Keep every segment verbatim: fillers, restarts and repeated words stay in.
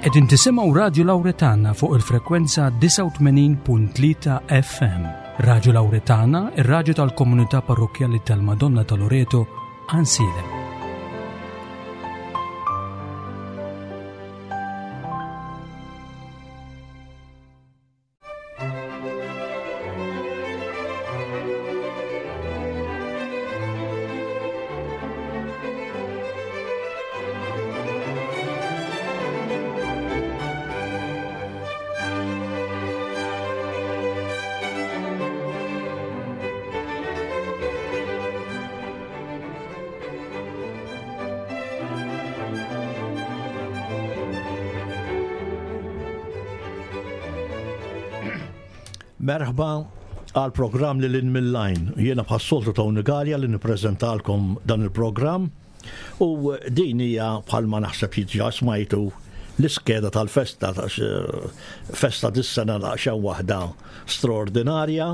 Qegħdin tisimgħu Radju Lawretana fuq il-frekwenza disgħa u tmenin punt tlieta F M. Radju Lawretana, ir-radju tal-komunità parrokkjali tal-Madonna ta' Loreto, Għajnsielem. Merħba għal programm li lin mill-lajn. Jiena bħas-soltu Tony Galea li nippreżentalkom dan il-programm u din hija bħalma naħseb jiġa smajtu l-iskeda tal-festa, ta' festa dis-sena daqsxejn waħda straordinarja,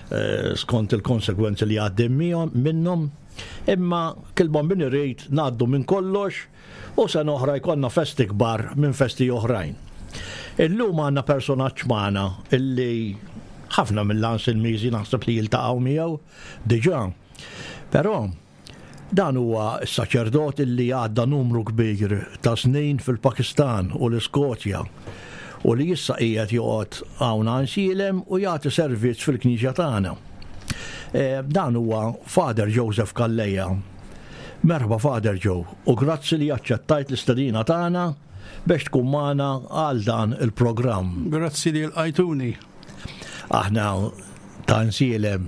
eh, skont il-konsegwenzi li għaddim minnhom. Imma kilbon bin irrid ngħaddu minn kollox u sena oħra jkollna festi kbar minn festi oħrajn. Illum għandna personaġġ magħna illi ħafna mill-Għajnsielmiżi naħseb li jiltaqgħu miegħu diġà. Però dan huwa s-saċerdot illi għadda numru kbir ta' snin fil-Pakistan u l-Iskozja u li issa qiegħed joqgħod hawn Għajnsielem u jagħti servizz fil-knisja tagħna. Eh, dan huwa Father Joseph Calleja. Merħba Father Joe u grazzi li aċċettajt l-istedina tagħna biex tkun magħna għal dan il-programm. Grazzi li lqajtuni. Aħna ta' Għajnsielem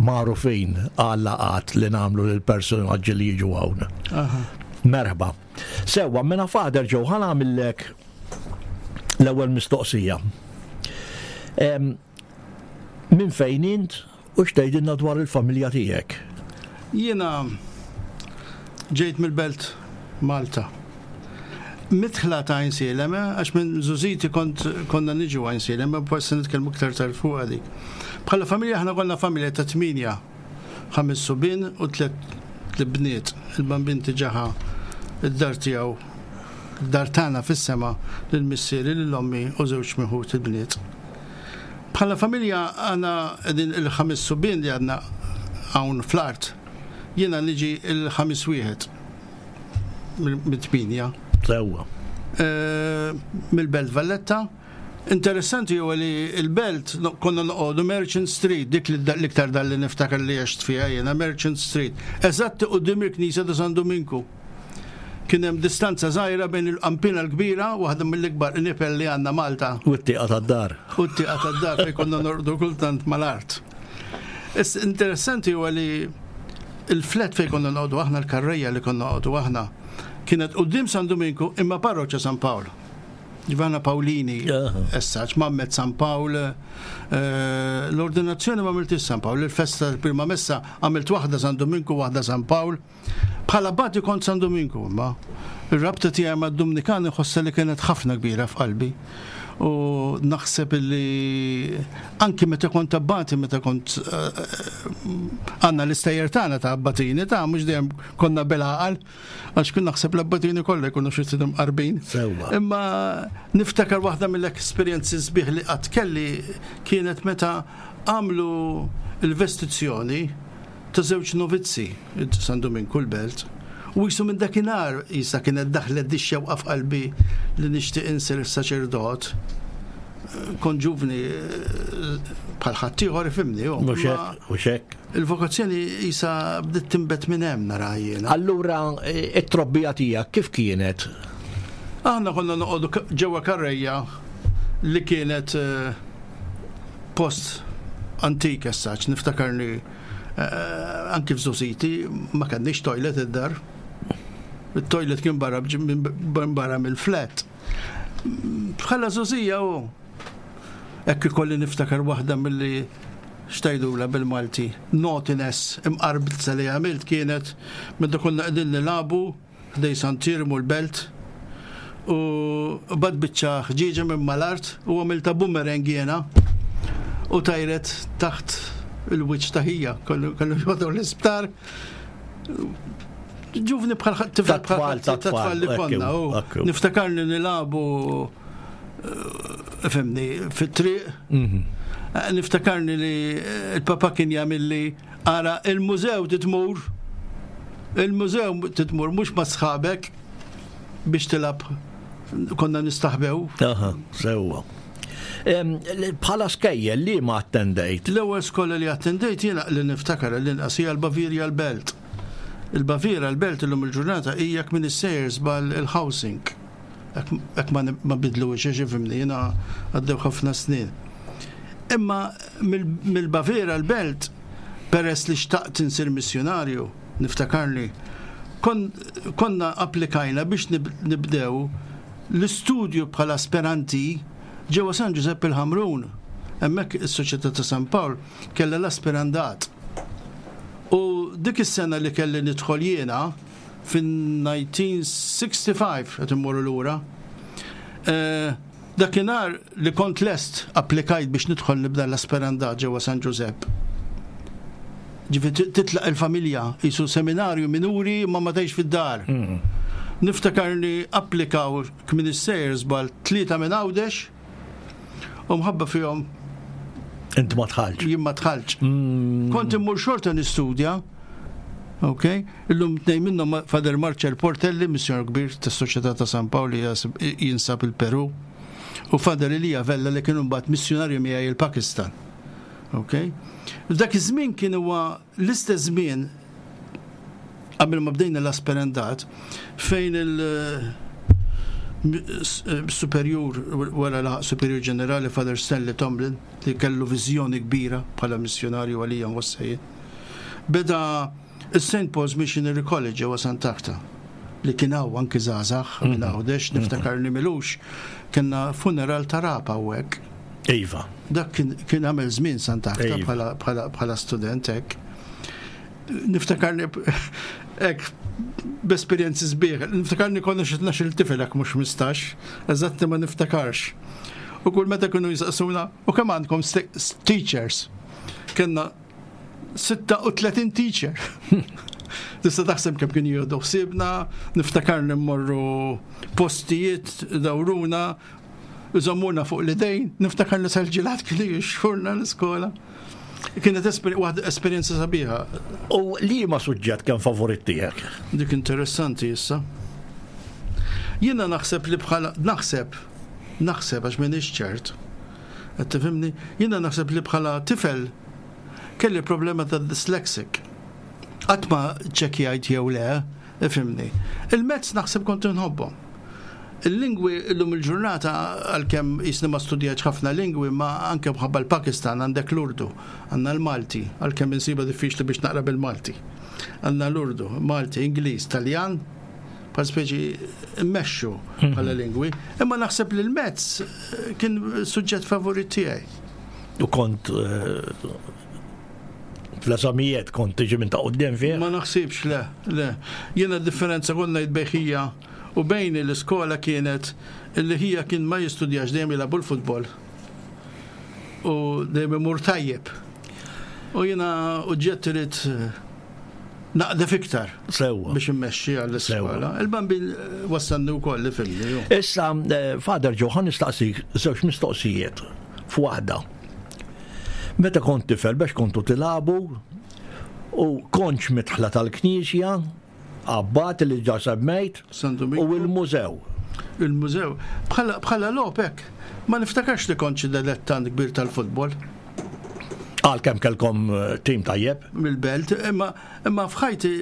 magħrufin għal laqgħat li nagħmlu lil personaġġi li jiġu hawn. Aha. Merħba. Sewwa, mela Father Joe, ħa nagħmillek l-ewwel mistoqsija. Em, min fejn int u x'tgħidilna dwar il-familja tiegħek? Jiena ġejt mill-belt Malta. Mitħla ta' Għajnsielem, eh, għax minn żgħożiti kont konna niġu Għajnsielem, ma forsi nitkellmu iktar tard fuq għalik. Bħala familja aħna konna familja ta' tminja, ħames subien u tliet bniet. Il-bambin tiġaħa id-dar tiegħu, id-dar tagħna fis-sema lil missieri, lil ommi u żewġ miħut il-bniet. Bħala familja għandna qegħdin il-ħames subien li għandna hawn fl-art. Jiena niġi il-ħames wieħed mit-tminja. Sewwa. Eh, mill-Belt Valletta. Interessanti huwa li l-Belt no-, konna noqogħdu Merchant Street, dik li da-, l-iktar dar li niftakar li għext fiha jiena, Merchant Street. Eżatt quddiem il-Knisja ta' San Duminku. Kien hemm distanza żgħira bejn il-qampina l-kbira, waħda mill-ikbar nipel li għandna Malta. U t-tieqa tad-dar. U t-tieqa tad-dar fejn konna norqdu kultant mal-art. Is interessanti huwa li il-flat fejn konna noqogħdu aħna, l-karrejja li konna noqogħdu aħna, kienet quddiem San Duminku imma parroċċa San Pawl. Ġivana Pawlini, Aha. essaċ, Mammet San Pawl, eh, l-ordinazzjoni ma għamiltix San Pawl, il-festa tal-prima messa għamilt waħda San Duminku, waħda San Pawl. Bħala bati kont San Duminku, imma ir-rabta tiegħi mad-Dumnikani ħossa li kienet ħafna kbira f'qalbi. U naħseb li anki meta kont abbati, meta kont, eh, għandna l-istejjer tagħna ta' abbatini, ta' mhux dejjem konna bil-għaqal, għax kien naħseb l-abbatini kollha jkunu xi ftit imqarbin. Sewwa. Imma niftakar waħda mill-esperjenzi sbieħ li qatt kelli kienet meta għamlu l-vestizzjoni ta' żewġ novizzi San Duminku l-Belt. U jisu minn dakinhar jisa kienet daħlet di xewqa f'qalbi li nixtieq insir saċerdot. Kon ġuvni bħal ħaddieħor ifhimni, hu. Mhux hekk, mhux hekk. Il-vokazzjoni jisa bdiet tinbet minn hemm nara jiena. Allura, it-trobbija tiegħek kif kienet? Aħna konna noqogħdu k-, ġewwa karrejja li kienet, eh, post antik essaċ, niftakarni, eh, anki f'żgħożiti ma kenniex toilet id-dar. Il-toilet kien barra bġi-, minn barra mill-flat. Bħala żgħożija u hekk ikolli niftakar waħda milli xtajdula bil-Malti, naughtiness imqarbza li għamilt kienet meta konna qegħdin nilagħbu ħdej Sant'Iermu l-Belt u bad biċċa ħġieġa minn mal-art u għamilta boomerang jiena u tajret taħt il-wiċċ ta' ħija, kollu, kollu jgħodu l-isptar. Ġuvni bħal tifel bħal tfal li konna. Niftakarni nilagħbu, fhimni, fit-triq. Mhm. Niftakarni li il-papa kien jagħmilli ara il-mużew titmur, il-mużew titmur mhux ma' sħabek biex tilgħab, konna nistaħbew. Aha, sewwa. Bħala skejjel li ma attendejt? L-ewwel skola li attendejt jiena li niftakar l-inqas hija l-Baviera l-Belt. Il-Baviera l-Belt illum il-ġurnata hija minn is-sejers bal il-housing. Hekk ma bidlu ifhimni, jiena għaddew ħafna snin. Imma mill-Baviera l-Belt, peress li xtaqt insir missjonarju, niftakarni, konna applikajna biex nibdew l-istudju bħala aspiranti ġewwa San Giuseppe il-Ħamrun. Hemmhekk is-Soċjetà ta' San Pawl kellha l-aspirandat. U dik is-sena li kelli nidħol jiena fin-elf disa' mija u ħamsa u sittin qed immorru lura. Eh, dakinhar li kont lest applikajt biex nidħol nibda l-aspirandat ġewwa San Giuseppe. Ġifieri titlaq il-familja, jisu seminarju minuri ma ma tgħix fid-dar. Mm. Niftakarni applikaw kmin is-sejers bal tlieta minn Għawdex u mħabba fihom Inti ma dħaltx. Jien ma dħaltx. Mm. Kont immur xorta nistudja, ok? Illum tnejn minnhom, Father Marcel Portelli, missjonar kbir tas-Soċjetà ta' San Pawl li jinsab il-Peru, u Father Elija Vella li kienu mbagħad missjonarju miegħi il-Pakistan. Ok? F'dak iż-żmien kien huwa l-istess żmien qabel ma bdejna l-aspirandat fejn il- superjur, wara laħaq superjur ġenerali, Father Stanley Tomlin, li kellu viżjoni kbira bħala missjonarju għalija nwassajin. Beda il-Saint Paul's Missionary College ġewwa Sant'Agata li kien hawn anki żgħażagħ minn mhm. Għawdex, niftakar li m'ilux kellna funeral ta' rapa hawnhekk. Iva. Dak kien għamel żmien Sant'Agata bħala student hekk. Niftakarni hekk b'esperjenzi sbieħ. Niftakarni konna xi tnax-il tifel hekk, mhux ħmistax, eżatti ma niftakarx. U kull meta kienu jisaqsuna, "U kemm għandkom teachers?" Kellna sitta u tletin teacher. Tista' taħseb kemm kien jieħdu ħsiebna, niftakarni mmorru postijiet dawruna, iżommuna fuq l-idejn, niftakar li sal-ġilat kienu jixtrulna l-iskola. Kienet waħda esperjenza sabiħa. U li ma suġġett kien favorit tiegħek? Dik interessanti issa. Jiena naħseb li bħala naħseb naħseb għax m'iniex ċert. Qed tifhimni? Jiena naħseb li bħala tifel kelli problema ta' dyslexic. Qatt ma ċekjajt jew le, ifhimni. Il-maths naħseb kont nħobbhom. Il-lingwi illum il-ġurnata, għalkemm jisni ma studjajt ħafna lingwi, ma anke bħabba l-Pakistan għandek l-Urdu, għandna l-Malti, għalkemm insiba diffiċli biex naqra bil-Malti. Għandna l-Urdu, Malti, Ingliż, Taljan, bħal speċi mmexxu bħala lingwi, imma naħseb li l-maths kien suġġett favorit tiegħi. U kont eh, fl-eżamijiet kont tiġi minn ta' quddiem fih? Ma naħsibx, le, le. Jiena differenza konna jitbejħija u bejni l-iskola kienet illi ħija kien ma jistudjax, dejjem jilagħbu l-futbol. U dejjem imur tajjeb. U jiena uġġett irid naqdef iktar Sewwa. biex immexxi għall-iskola. Il-Bambin wassalni wkoll li filli. ju. Issa, eh, Father Joe, ħa nistaqsik żewġ mistoqsijiet f'waħda. Meta kont tifel biex kontu tilagħbu u kontx midħla tal-knisja, abbat li ġa semmejt, San u Domenico. il-mużew. Il-mużew. Bħala bħala logħob hekk. Ma niftakarx li kont xi dilettant kbir tal-futbol. Għal kemm kelkom eh, tim tajjeb? Mill-Belt, imma imma f'ħajti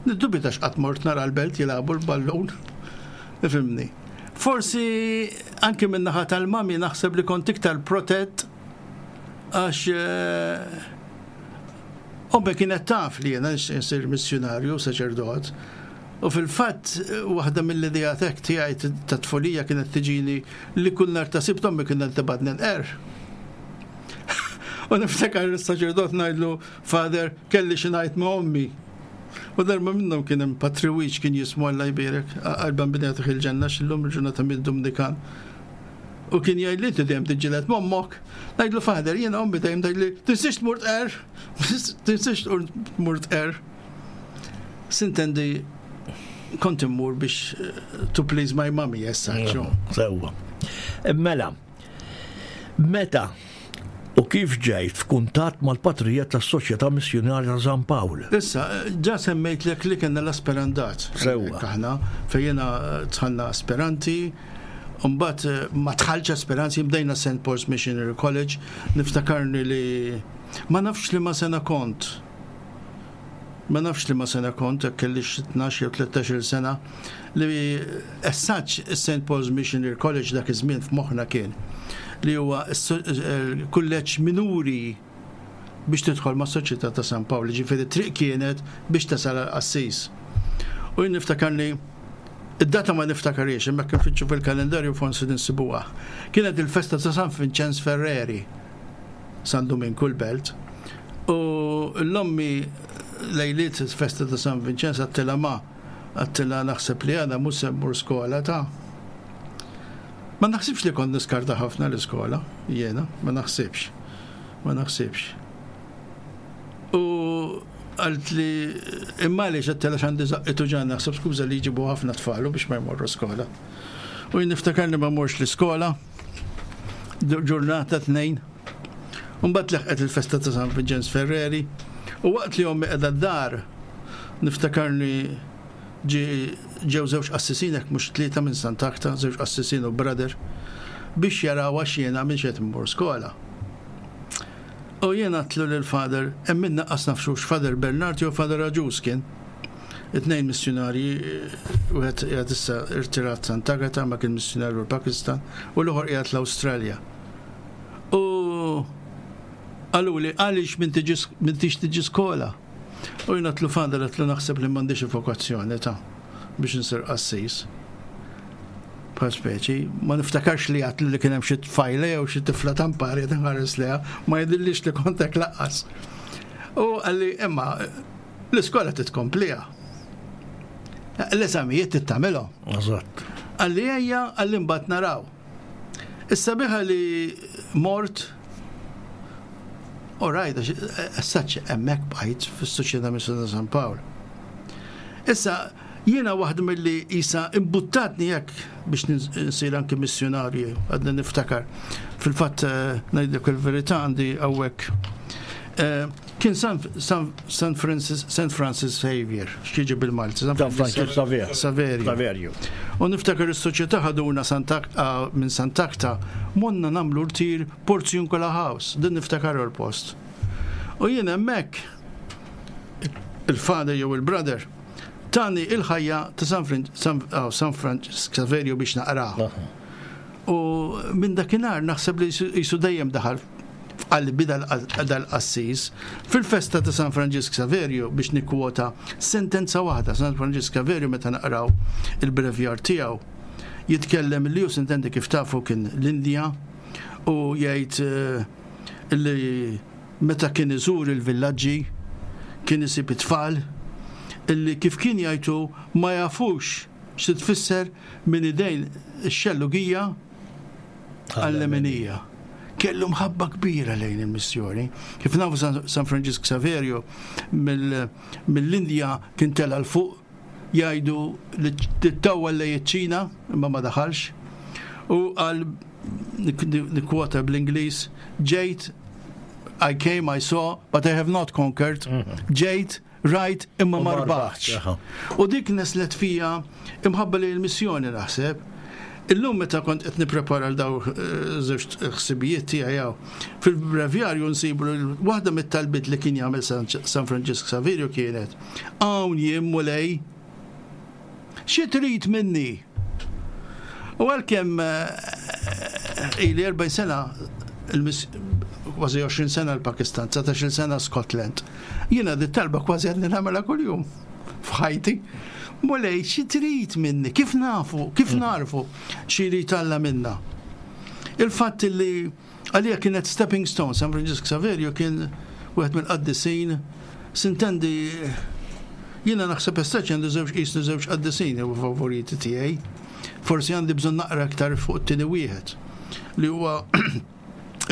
niddubita x'qatt mort nara l-Belt jilagħbu l-ballun. Ifhimni. Forsi anke minn naħa tal-mami naħseb li kont iktar protett għax eh, ommi kienet taf li jiena nixtieq insir missjonarju, saċerdot. U fil-fatt waħda mill-idejat hekk tiegħi ta' tfulija kienet tiġini li kull nhar ta' Sibt ommi kienet tibgħatni nqerr. U niftakar il-saċerdot ngħidlu, "Father, kelli xi ngħid ma' ommi." U darba minnhom kien hemm Patri Wiċ kien jismu, Alla jbierek, għal-Bambin jagħtih il-ġenna, x'illum il-ġurnata mid-Dumnikan. U kien jgħid li dejjem tiġġieled m'ommok. Ngħidlu, "Father, jiena ommi dejjem tgħidli, tinsiex tmur tqerr, tinsiex tmur tqerr." Sintendi Kont immur biex eh, to please my mommy, issa. Sewwa. Mela, meta u kif ġejt f'kuntatt mal-patrijiet tas-Soċjetà Missjunarja ta' San Pawl? Issa, ġa semmejtlek li kellna l-asperandat. Sewwa. Aħna fejn jiena dħalna aspiranti, mbagħad eh, ma dħaltx aspiranti, bdejna Saint Paul's Missionary College, niftakarni li ma nafx li ma sena kont. Ma nafx li ma sena kont, jekk kellix tnax jew tlettax-il sena, li essaċ Saint Paul's Missionary College dak iż-żmien f'moħħna kien li huwa kulleġġ minuri biex tidħol ma' Soċjetà ta' San Pawl, ġifieri triq kienet biex tasal għall-qassis. U jien niftakarni, id-data ma niftakariex, imma kien fitxu fil-kalendarju forsi ninsibuha. Kienet il-festa ta' San Vincenz Ferreri, San Duminku l-Belt. U l-ommi lejliet il-festa ta' San Vincenz għedtilha, "Ma," għedtilha, "naħseb li għada mhux se mmur skola ta'." Ma naħsibx li kont niskarta ħafna l-iskola, jiena, ma naħsibx. Ma naħsibx. U għalt li imma li għedtilha x'għandi żaqqi ġan naħseb skuża li jġibu ħafna tfalu biex ma jmorru skola. U jien niftakar li ma morx l-iskola, ġurnata tnejn. Mbagħad leħqet il-festa ta' San Vincenz Ferreri u waqt li ommi qiegħda d-dar niftakarni ġew żewġ qassisin, hekk mhux tlieta, minn Sant'Agata, żewġ qassisin u brother, biex jaraw għax jiena minn qed immur skola. U jiena għedtlu lil Father, hemm minna qas nafxux Father Bernard jew Father Aġus kien. It-tnejn missjonarji, wieħed qiegħed issa irtirat Sant'Agata ma kien missjonarju l-Pakistan u l-ieħor qiegħed l-Awstralja. U qalu li għaliex m'intix tiġi skola? U jiena għedtlu, "Father," għedtlu, "naħseb li m'għandix vokazzjoni ta' biex nsir qassis." Bħal speċi, ma niftakarx li għedtlu li kien hemm xi tfajla jew xi tifla tampari tinħares leha, ma jidhirlix li kont hekk lanqas. U qalli, "Imma l-iskola titkompliha. L-eżamijiet tittamilhom." Eżatt. Qalli, "Ejja," qalli, "mbagħad naraw." Issa biħa li mort. All right, essaċ hemmhekk bqajt fis-Soċjetà Missjoni San Pawl. Issa, jiena waħda mill-li isa imbuttatni hekk biex nsir anki missjonarju, għadna niftakar. Fil-fatt, eh, ngħidlek il-verità, għandi hawnhekk. Eh, kien San, San, San Francis, Saint Francis Xavier, x'jiġi bil-Malti? San Francis Xavier. Saverio. Saverio. U niftakar is-soċjetà ħaduna ah, minn Sant'Agata morna nagħmlu rtir Porziuncola House, din niftakar il-post. U jien hemmhekk il-father jew il-brother tani il-ħajja ta' San, San, oh, San Francis Xaverio biex naqra. U minn dakinhar naħseb li jisu dejjem daħal f'qalbi dal-qassis. Fil-festa ta' San Franġisk Saverio, biex nikkwota sentenza waħda, San Franġisk Saverio, meta naqraw il-brevjar tiegħu, jitkellem li hu sintendi kif tafu kien l-Indja u jgħid eh, li meta kien iżur il-villaġġi kien isib it-tfal illi, kif kien jgħidu, ma jafux xi tfisser minn idejn ix-xellugija għall-leminija. Kellu mħabba kbira lejn il-missjoni. Kif nafu, San Franġisk Saverio mill-Indja kien tela 'l fuq, jgħidu li tittawwal lejn iċ-Ċina, imma ma daħalx. U għal nikkwota bl-Ingliż, ġejt, "I came, I saw, but I have not conquered." Ġejt, rajt, imma ma rbaħtx. U dik nisslet fija imħabba li l-missjoni, naħseb. Illum meta kont qed nipprepara l daw eh, żewġ ħsibijiet tiegħi hawn, fil-brevjarju nsibu waħda mit-talbiet li kien jagħmel San Franġisk Saverio kienet: "Hawn jien, Mulej, xi trid minni?" U għalkemm eh, ili erbgħin sena, kważi għoxrin sena l-Pakistan, dsatax-il sena Scotland, jiena di talba kważi għadni nagħmilha kuljum f'ħajti. "Mulej, xi trid minni?" Kif nafu, kif mm. narfu xi jrid Alla minna? Il-fatt li għalija kienet stepping stone, San Francisco Saverio kien wieħed mill-qaddisin, sintendi jiena naħseb estaċ għandi żewġ qisni żewġ qaddisin u favoriti tiegħi. Forsi għandi bżonn naqra aktar fuq it-tieni wieħed li huwa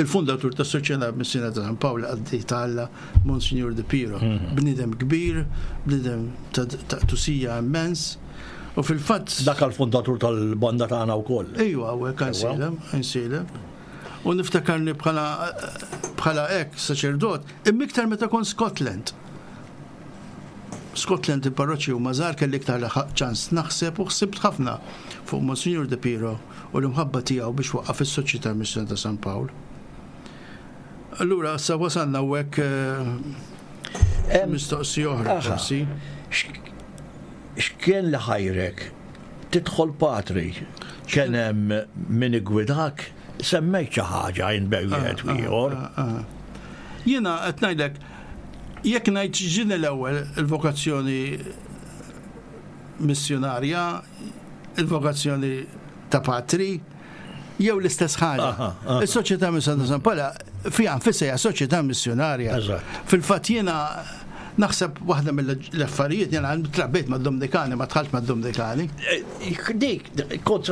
Il-fundatur tas Soċjetà Missjunarja ta' San Pawl għaddi ta' Monsignor De Piro. Mhm. Bniedem kbir, bniedem ta' tusija immens. U fil-fatt. Dak għal-fundatur tal-banda tagħna wkoll. Ejwa, hekk Għajnsielem, Għajnsielem. U niftakarni bħala bħala hekk saċerdot, imma iktar meta kont Scotland. Scotland il-parroċċi u mażar kelli iktar ċans naħseb u ħsibt ħafna fuq Monsignor De Piro u l-imħabba tiegħu biex waqqaf is-Soċjetà Missjoni ta' San Pawl. Allura, sa wasalna u hekk eh, mistoqsi oħra forsi. X'kien li ħajrek tidħol patri? Kien hemm min igwidak? Semmejt xi ħaġa jien bejn wieħed u ieħor. Ah, ah, ah. Jiena qed ngħidlek jekk ngħid ġini l-ewwel il-vokazzjoni missjonarja, il-vokazzjoni ta' patri, jew l-istess ħaġa. Is-Soċjetà Missjoni ta' San Pawl fiha nfisha hija soċjetà missjonarja. Fil-fatt jiena naħseb waħda mill-affarijiet jiena trabbejt mad-Dominikani, ma dħalt mad-Dominikani. Eh, dik, kont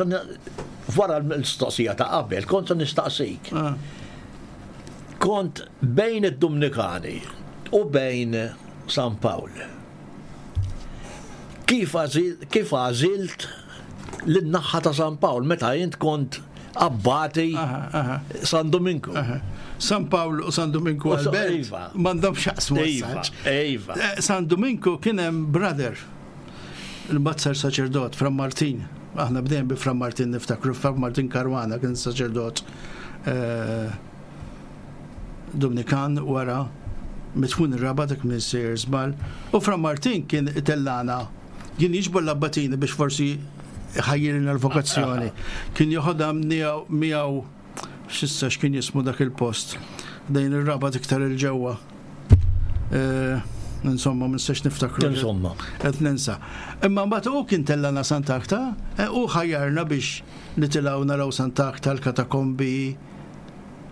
wara l-mistoqsija ta' qabel, kont nistaqsik. Ah. Kont bejn id-Dominikani u bejn San Pawl. Kif għażilt lin-naħa ta' San Pawl meta jint kont abbati San Dominku? San Pawl u San Dominku għal-belt iva. M'għandhom x'jaqsmu. Iva, iva. Eh, San Dominku kien hemm brother il-bazzar saċerdot, Fra Martin. Aħna bdejn bi Fra Martin niftakru, Fra Martin Caruana kien saċerdot eh, Dominikan wara mitfun ir-Rabat dak minn sejjer żball. U Fra Martin kien itellana, kien jiġbor l-abbatini biex forsi ħajjirina l-vokazzjoni. Kien joħodha miegħu x'issa x'kien jismu dak il-post. Dejn ir-Rabat iktar il-ġewwa. Eh, insomma, ma nistax niftakru. Insomma. Qed ninsa. Imma mbagħad hu kien tellana Sant'Akta eh, u ħajjarna biex nitilgħu naraw Sant'Akta l-katakombi.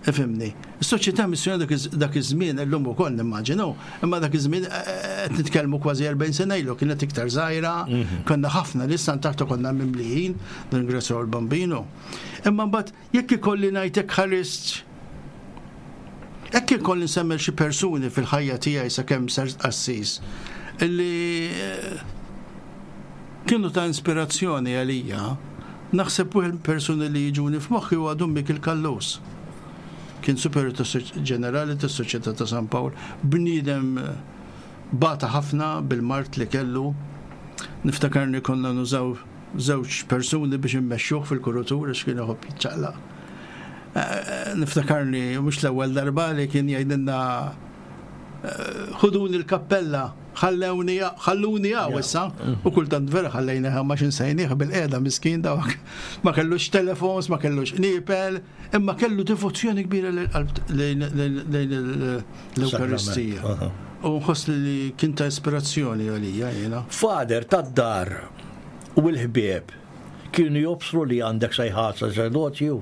Ifhimni. Is-soċjetà missjoni dak iż-żmien illum ukoll nimmaġinu, imma dak iż-żmien eh, eh, qed nitkellmu kważi erbgħin sena ilu kienet iktar żgħira, mhm. konna ħafna li Sant'Akta konna mimlijin, ringrazzjaw il-Bambino. Imma mbagħad jekk ikolli ngħidlek ħarist Hekk ikolli nsemmi xi persuni fil-ħajja tiegħi sakemm sart qassis illi eh, kienu ta' ispirazzjoni għalija, naħseb wieħed persuni li jiġuni f'moħħi huwa Dun Mikiel Callus. Kien superior ġenerali tas-Soċjetà ta' San Pawl, bniedem eh, bata ħafna bil-mard li kellu. Niftakarni konna nużaw żewġ persuni biex immexxuh fil-kurutur għax kien iħobb jiċċaqlaq. Eh, niftakarni mhux l-ewwel darba li kien jgħidilna eh, ħuduni l-kappella, ħallewni ħalluni hawn issa u kultant vera ħallejna ma xinsejnieh bil-qiegħda miskin dawk. Ma kellux telefons, ma kellux nipel, imma kellu devozzjoni kbira lejn l-Ewkaristija. U nħoss li kien ta' ispirazzjoni għalija jiena. Father tad-dar u l-ħbieb kienu jobsru li għandek sejħa saċerdozju?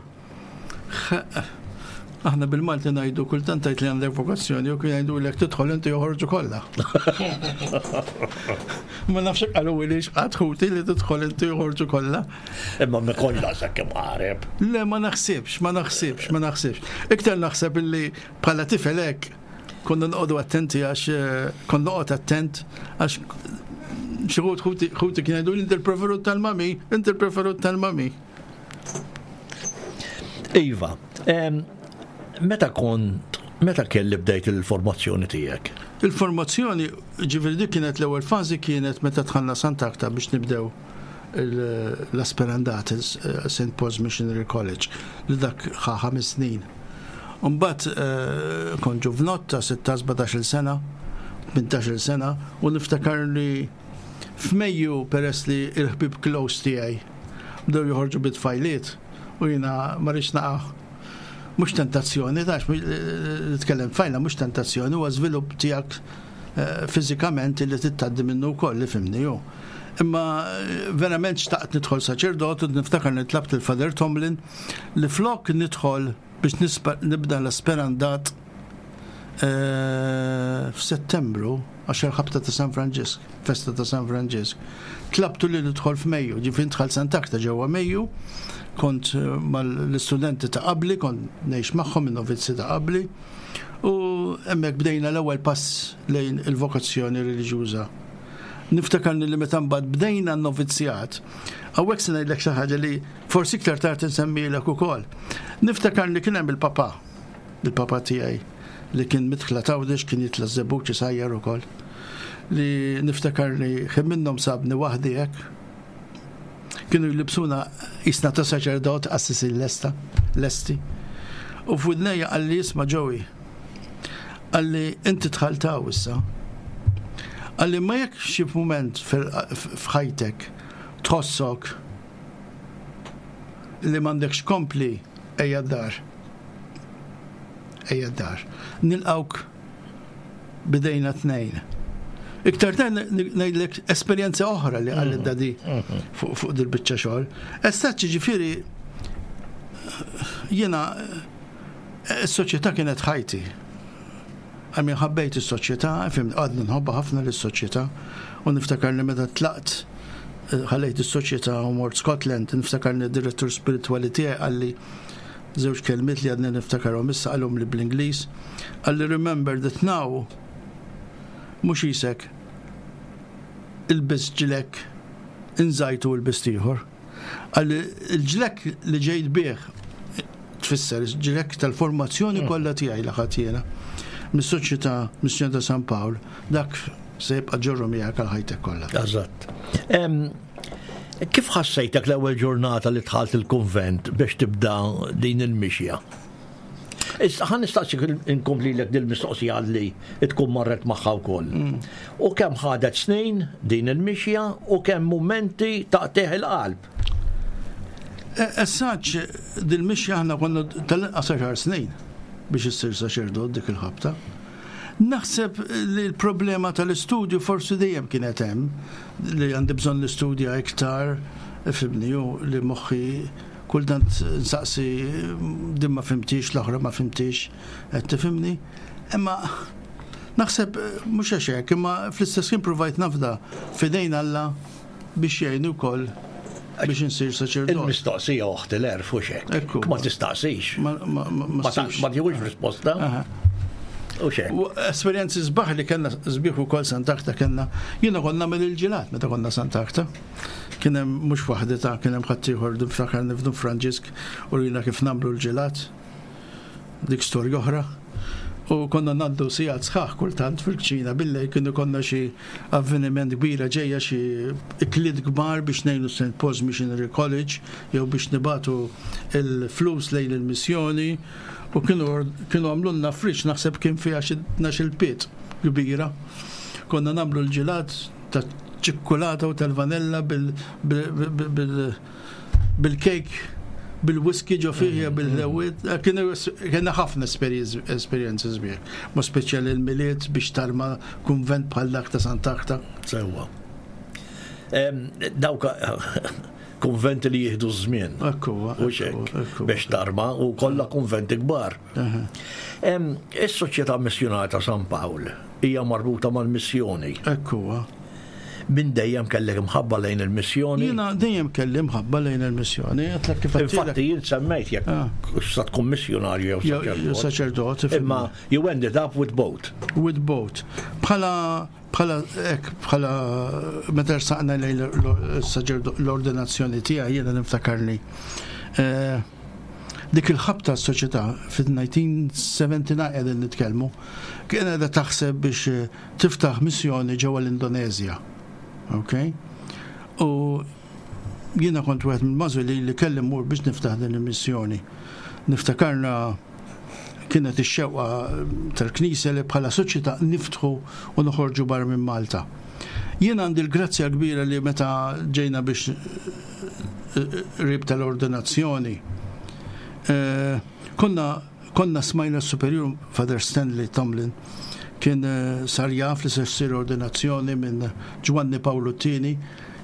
Aħna bil-Malti ngħidu kultant tgħid li għandek vokazzjoni u kien jgħidulek tidħol inti joħorġu kollha. Ma nafx qalu li xqatt ħuti li tidħol inti joħorġu kollha. Imma me kollha sakemm qareb. Le ma naħsibx, ma naħsibx, ma naħsibx. Iktar naħseb illi bħala tifel hekk konna noqogħdu attenti għax eh, kont noqgħod attent għax xi ħut ħuti kien jgħidu inti l-preferut tal-mami, inti l-preferut tal-mami. Iva, meta kont, meta kelli bdejt il-formazzjoni tiegħek? Il-formazzjoni, ġifieri dik kienet l-ewwel fażi kienet meta dħalna Sant'Agta biex nibdew l-Asperandat, Saint Paul's Missionary College, li dak ħa ħames snin. Mbagħad eh, kont ġuvnott ta' sittax sbatax-il sena, tmintax-il sena, u niftakar li f'Mejju peress li l-ħbieb close tiegħi bdew joħorġu bit-tfajliet u jiena ma rridx naqa' mhux tentazzjoni, tax li tkellem tfajla mhux tentazzjoni, huwa żvilupp tiegħek eh, fiżikament li tittaddi minnu wkoll li fimni hu. Imma eh, verament xtaqt nidħol saċerdot u niftakar nitlabt il-Father Tomlin li flok nidħol biex nibda l-esperandat eh, f'Settembru, għax il-ħabta ta' San Franġisk, festa ta' San Franġisk, tlabtu li nidħol f'Mejju, ġifieri dħalt Sant'Agata ġewwa Mejju, kont eh, mal-istudenti ta' qabli, kont ngħix magħhom in-novizzi ta' qabli, u hemmhekk bdejna l-ewwel pass lejn il-vokazzjoni reliġjuża. Niftakarni li meta mbagħad bdejna n-novizzjat, hawnhekk se ngħidlek xi ħaġa li forsi iktar tard insemmilek ukoll. Niftakarni kien hemm il-papa, il-papa tiegħi li kien midħla t'Għawdex, kien jitla' ż-Żebbuġ isajjar ukoll. Li niftakarni ħin minnhom sabni waħdi hekk. Kienu jlibsuna jisna ta' saċerdot, qassisin lesta, lesti. U f'widnejja qalli, "Isma' Joey," qalli, "inti dħalt hawn issa." Qalli, "Ma jekk xi moment f'ħajtek tħossok li m'għandekx kompli, ejja d-dar. Ejja d-dar. Nilqgħuk b'idejna t-tnejn." Iktar tard ngħidlek esperjenza oħra li qalli d-daddy fuq fuq dil-biċċa xogħol. Estaċ ġifieri jiena is-soċjetà kienet ħajti. I mean, ħabbejt is-soċjetà, fhimt, għadni nħobba ħafna lis-soċjetà u niftakar li meta tlaqt, eh, ħallejt is-soċjetà u mort Scotland, niftakar li d-direttur spiritwali tiegħi qalli żewġ kelmiet li għadni niftakarhom issa, qalhom li bl-Ingliż. Qalli, "Remember that now mhux jisek ilbist ġlekk, inżajtu lbist ieħor." Qalli, "Il-ġlekk li ġejt bih tfisser ġlekk tal-formazzjoni kollha tiegħi li ħadt jiena mis-Soċjetà Missjoni ta' San Pawl, dak se jibqa' ġorru miegħek għal ħajtek kollha." Eżatt. Em, Kif ħassejtek l-ewwel ġurnata li dħalt il-konvent biex tibda din il-mixja? Issa ħa nistaqsik, inkomplilek dil-mistoqsija li tkun marret magħha wkoll. U kemm ħadet snin din il-mixja u kemm momenti taqtigħ il-qalb? Essaċ, dil-mixja aħna konna tal-inqas għaxar snin biex issir saċerdot dik il-ħabta. Naħseb li l-problema tal-istudju forsi dejjem kienet hemm, li għandi bżonn l-istudja iktar, fhimtni, u li moħħi kultant nsaqsi, din ma fhimtix, l-oħra ma fhimtix, qed tifhimni? Imma naħseb mhux għax hekk, imma fl-istess kien provajt nafda f'idejn Alla biex jgħinu wkoll biex insir saċerdot. Il-mistoqsija oħt l-għerf, u xek. Ekku. Ma tistaqsix. Ma ma ma Ma ta- ssibx. ma tieħux risposta. Aha. U xek. U esperjenzi sbaħ li kellna sbieħ ukoll Sant'Agata kellna. Jiena konna nagħmel il-ġilat meta konna Sant'Agata. Kien hemm mhux waħdi ta' kien hemm ħaddieħor, niftakar nifdu Franġisk u rina kif nagħmlu l-ġilat. Dik storja oħra. U konna ngħaddu sigħat sħaħ kultant fil-kċina billejl, kienu konna xi avveniment kbira ġejja, xi ikliet kbar biex ngħinu Saint Paul's Missionary College jew biex nibagħtu il-flus lejn il-missjoni u kienu kienu għamlulna friġġ, naħseb kien fiha xi tnax-il pied kbira. Konna nagħmlu l-ġilat ta' ċikkulata u tal-vanella bil- bil- bil- bil- bil-kejk bil-whisky ġo fih, bil-ħlewiet. Kienu kienu ħafna esperjenzi sbieħ. Ma speċjali il-Milied biex tarma kunvent bħal dak ta' Sant'Agata. Sewwa. Em, Dawk konventi li jieħdu żmien. Ekku, U xek, biex tarma u kollha konventi kbar. Em, Is-Soċjetà Missjonarja ta' San Pawl hija marbuta mal-missjoni. Ekku. Minn dejjem kellek imħabba lejn il-missjoni. Jiena dejjem kelli mħabba lejn il-missjoni. Għedtlek kif għedtilek. Infatti jien semmejt jekk Ah. sa tkun missjonarju jew Jew saċerdot. saċerdot. Imma you ended up with both. With both. Bħala bħala ek bħala meta rsaqna lejn l-ordinazzjoni tiegħi, jiena niftakarni. Eh, dik il-ħabta s-soċjetà fil-elf disa' mija u sebgħa u sebgħin qegħdin nitkellmu, kien qiegħda taħseb biex eh, tiftaħ missjoni ġewwa l-Indonezja. Ok? U jiena kont wieħed mill-magħżulin li kelli mmur biex niftaħ din il-missjoni. Niftakarna kienet ix-xewqa tal-Knisja li bħala soċjetà niftħu u noħorġu barra minn Malta. Jien għandi l-grazzja kbira li meta ġejna biex eh, rib tal-ordinazzjoni, eh, konna konna smajna s-superjur Father Stanley Tomlin kien eh, sar jaf li se ssir ordinazzjoni minn Ġwanni Pawlu t-Tieni,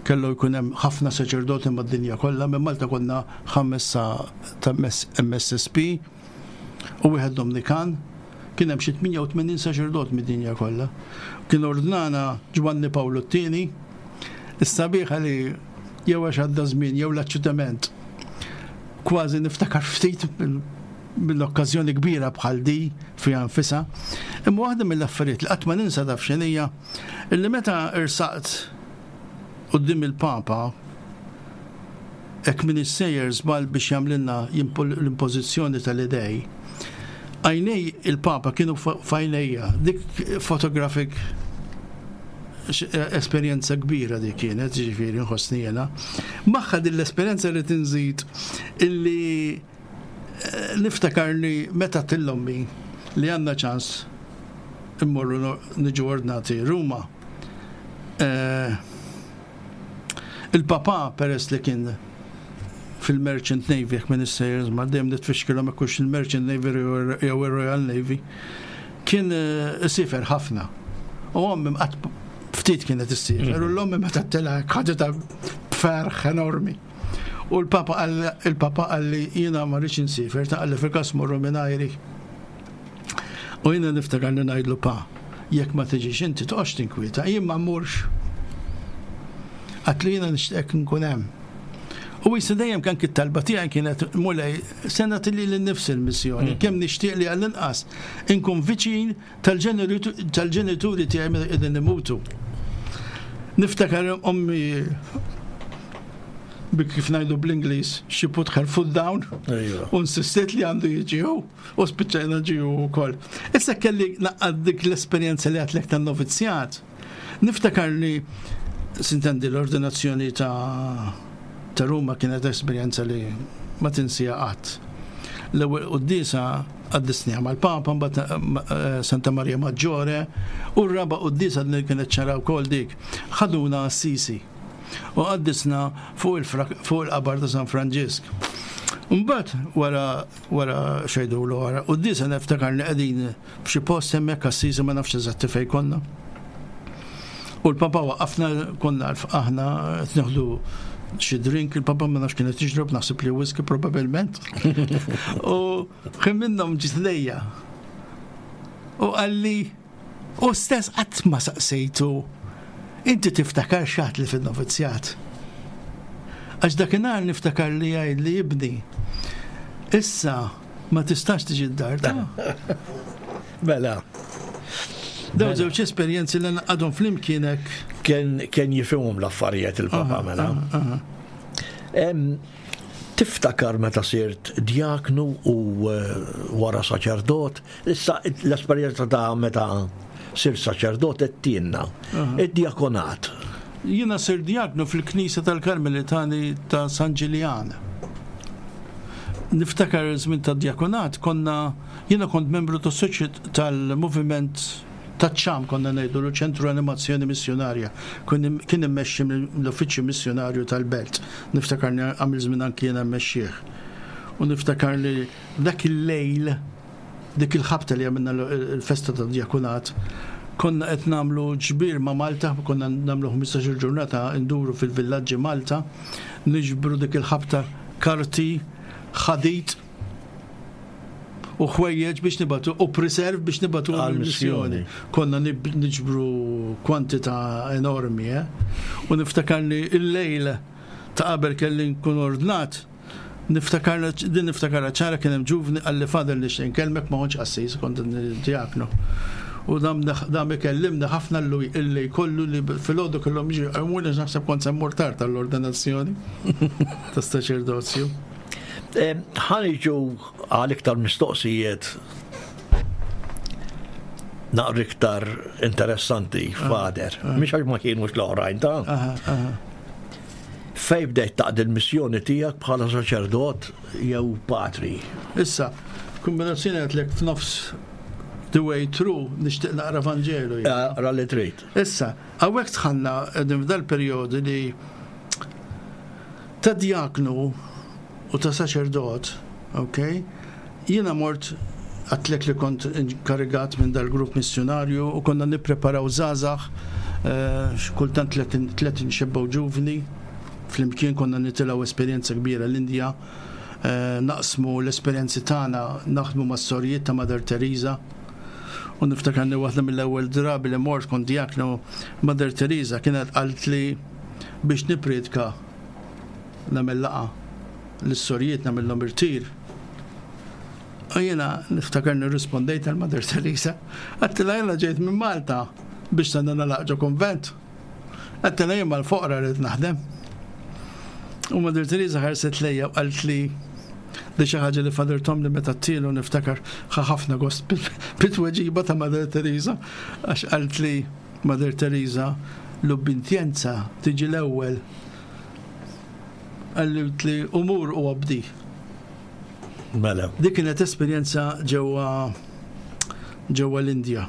kellu jkun hemm ħafna saċerdoti mad-dinja kollha. Minn Malta konna ħames ta' M S S P u wieħed Dominikan. Kien hemm xi tmienja u tmenin saċerdot mid-dinja kollha. Kien ordnana Ġwanni Pawlu t-tieni. Is-sabiħa li jew għax għadda żmien jew l-aċċittament, kważi niftakar ftit mill-okkażjoni kbira bħal di fiha nfisha. Imma waħda mill-affarijiet li qatt ma ninsa, taf x'inhija, illi meta rsaqt quddiem il-Papa, hekk minn sejjer żball, biex jagħmlilna l-impożizzjoni tal-idej, għajnej il-Papa kienu f'għajnejja, dik photographic esperjenza kbira dik kienet, ġifieri nħossni jena. Magħha din l-esperjenza li tinżid illi eh, niftakarni meta għedt l'ommi li għandna ċans immorru niġu ordnati Ruma. Eh, il-papa, peress li kien fil-Merchant Navy, jekk minn sejjer ma dejjem nitfixkilhom hekk il-Merchant Navy jew il-Royal Navy, kien eh, isiefer ħafna. U ommi qatt ftit kienet issiefer, u l-ommi meta tela ħaġa b'ferħ enormi. U l-papa il-papa qalli, "Jiena ma rridx insiefer," ta, qalli, "fil-każ morru mingħajri." U jiena niftakar li ngħidlu, "Pa, jekk ma tiġix inti toqgħodx tinkwieta, jien ma mmurx." Għedtlu, "Jiena nixtieq nkun hemm." U jisa dejjem kan talba tiegħi kienet, "Mulej, sena tilli l-nifs il-missjoni, mm. kemm nixtieq li għall-inqas inkun viċin tal-ġenituri tiegħi meta qegħdin imutu." Niftakar ommi bi kif ngħidu bl-Ingliż, she put her foot down u insistiet li għandu jiġi hu u spiċċajna ġie hu wkoll. Issa kelli naqgħad dik l-esperjenza li għedtlek tan-novizzjat. Niftakar li sintendi l-ordinazzjoni ta' ta' Ruma kienet esperjenza li ma tinsija qatt. L-ewwel quddiesa qaddisniha mal-Papa, mbagħad eh, Santa Maria Maggiore, u r-raba' quddiesa li kienet ċara wkoll dik. Ħaduna Assisi u qaddisna fuq il-qabar ta' San Franġisk. Mbagħad wara wara xejdu l wara quddiesa niftakar li qegħdin f'xi post hemmhekk Assisi, ma nafx eżatti fejn konna. U l-papa waqafna, konna aħna nieħdu xi drink, il-papa ma nafx kienet jixrob, naħseb li whisky probabilment. U kien minnhom ġie lejja. U qalli, u stess qatt ma saqsejtu, "Inti tiftakar x'għedtli fil-novizzjat?" Għax dakinhar niftakar li jgħid li, "Ibni, issa ma tistax tiġi d-dar ta'." Mela. Daw żewġ esperjenzi li għadhom flimkienek. Kien kien jifhimhom l-affarijiet il-papa, mela. Tiftakar meta sirt djaknu u eh, wara saċerdot, issa l-esperjenza ta' meta sirt saċerdot għedtilna, id-diakonat. Jiena sirt djaknu fil-Knisja tal-Karmelitani ta' San Ġiljan. Niftakar żmien ta' diakonat, konna, jiena kont membru tas soċjet tal-moviment ta' ċam, konna ngħidu l-Ċentru Animazzjoni Missjonarja. Kien immexxi l-Uffiċċju Missjonarju tal-Belt. Niftakar għamil żmien anki jiena mmexxih. U niftakar li dak il-lejl, dik il-ħabta li għamilna l-festa ta' diakonat, konna qed nagħmlu ġbir ma' Malta, konna nagħmlu ħmistax-il ġurnata nduru fil-villaġġi Malta, niġbru dik il-ħabta karti, ħadid u ħwejjeġ biex nibagħtu u preserve biex nibagħtu għal-missjoni. Konna niġbru kwantità enormi, eh? U niftakar li il-lejl ta' qabel kelli nkun ordnat, niftakar din niftakar ċara, kien hemm ġuvni qalli, "Father, nixtieq nkellmek," ma kontx qassis, kont diaknu. U dam dam ikellimni ħafna illi kollu li filgħodu kellhom jiġu għamuli, naħseb kont se mmur tard tal-ordinazzjoni ta' saċerdozju. Ħa niġu għal iktar mistoqsijiet naqra iktar interessanti, Father. Mhix għax ma kienux l-oħrajn ta'. Fej bdejt taqdi l-missjoni tiegħek bħala saċerdot jew patri? Issa, kombinazzjoni għedtlek f'nofs the way through, nixtieq naqra Vanġelu. Ra li trid. Issa, hawnhekk dħalna f'dal perjodu li ta' diaknu u ta' saċerdot, ok? Jiena mort, għedtlek li kont inkarigat minn dal-grupp missjonarju u konna nippreparaw żgħażagħ, eh, kultant tletin xebba u ġuvni, flimkien konna nitilgħu esperjenza kbira l-Indja, eh, naqsmu l-esperjenzi tagħna, naħdmu mas-sorijiet ta' Mother Teresa. U niftakarni waħda mill-ewwel drabi li mort kont diaknu, Mother Teresa kienet qalt li biex nipriedka nagħmel laqgħa lis-sorijiet, nagħmilhom irtir. U jiena niftakarni rispondejt għal Mother Teresa, għedtilha, "Jiena ġejt minn Malta biex se nagħlaq ġo konvent." Għedtilha, "Jien mal-foqra rrid naħdem." U Mother Teresa ħarset lejja u qalt li di xi ħaġa li Father Tom li meta tilu niftakar ħafna gost bit-tweġiba ta' Mother Teresa, għax qalt li Mother Teresa, "L-ubbidjenza tiġi l-ewwel." Qaltli li, "Mur u obdi." Mela. Dik kienet esperjenza ġewwa ġewwa l-Indja.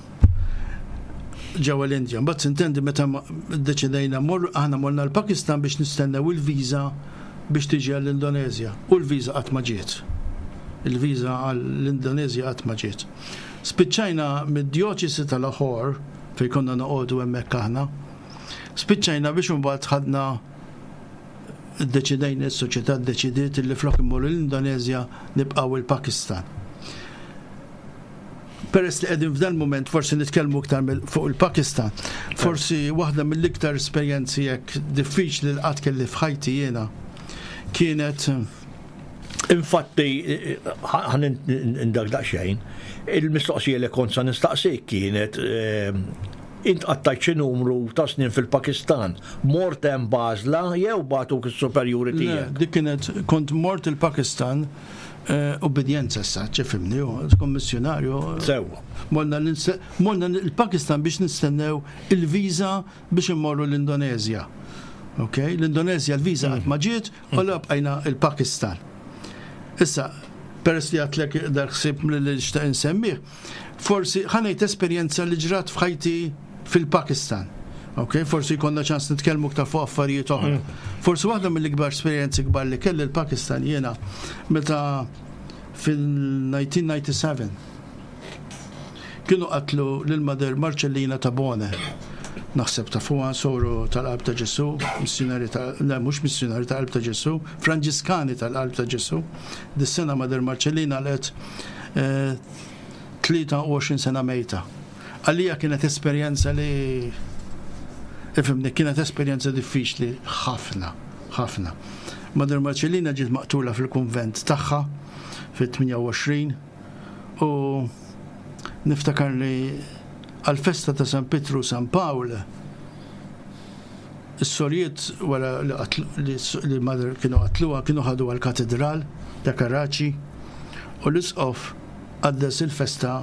Ġewwa l-Indja. Mbagħad intendi meta ddeċidejna mor aħna morna l-Pakistan biex nistennew il-viża biex tiġi għall-Indonezja. U l-viża qatt ma ġiet. Il-viża għall-Indonezja qatt ma ġiet. Spiċċajna mid-djoċesi tal-Lahore fejn konna noqogħdu hemmhekk aħna. Spiċċajna biex imbagħad ħadna ddeċidejna, is-soċjetà ddeċidiet li flok immorru l-Indonezja nibqgħu il-Pakistan. Peress li qegħdin f'dan moment forsi nitkellmu iktar fuq il-Pakistan, forsi waħda mill-iktar esperjenzi hekk diffiċli li qatt kelli f'ħajti jiena kienet Infatti, ħa ndak daqsxejn, il-mistoqsija li kont sa nistaqsik kienet eh, int qattajt xi numru ta' snin fil-Pakistan, mort hemm b'għażla jew bagħtuk is-superjuri tiegħek? Dik kienet kont mort il-Pakistan eh, ubbidjenza sa, tifhimni, kommissjonarju. Sewwa. Morna il-Pakistan biex nistennew il-viża biex immorru l-Indonezja. Ok, l-Indonezja l-viża qatt ma ġiet u bqajna il-Pakistan. Issa, peress li għedtlek dal-ħsieb li xtaqt insemmih, forsi ħa ngħid esperjenza li ġrat f'ħajti fil-Pakistan. Ok, forsi jkollna ċans nitkellmu aktar fuq affarijiet oħra. Mm. Forsi waħda mill-ikbar esperjenzi kbar li kelli l-Pakistan jiena meta fil-elf disa' mija u disgħa u disgħin kienu qatlu lil Mother Marcellina Tabone. Naħseb ta' fuqha, soru tal-Qalb ta' Ġesu, missjonari ta' le, mhux missjonari ta' Qalb ta' Ġesu, Franġiskani tal-Qalb ta' Ġesu. Dis-sena Mother Marcellina għalqet tlieta u għoxrin sena mejta. Għalija kienet esperjenza li, ifhimni, kienet esperjenza diffiċli ħafna, ħafna. Mother Marcellina ġiet maqtula fil-kunvent tagħha fit-tmienja u għoxrin u niftakar li għal-festa ta' San Pietru San Pawl is-sorijiet wara li li Mother kienu qatluha kienu ħadu għal-katedral ta' Karachi u l-isqof qaddes il-festa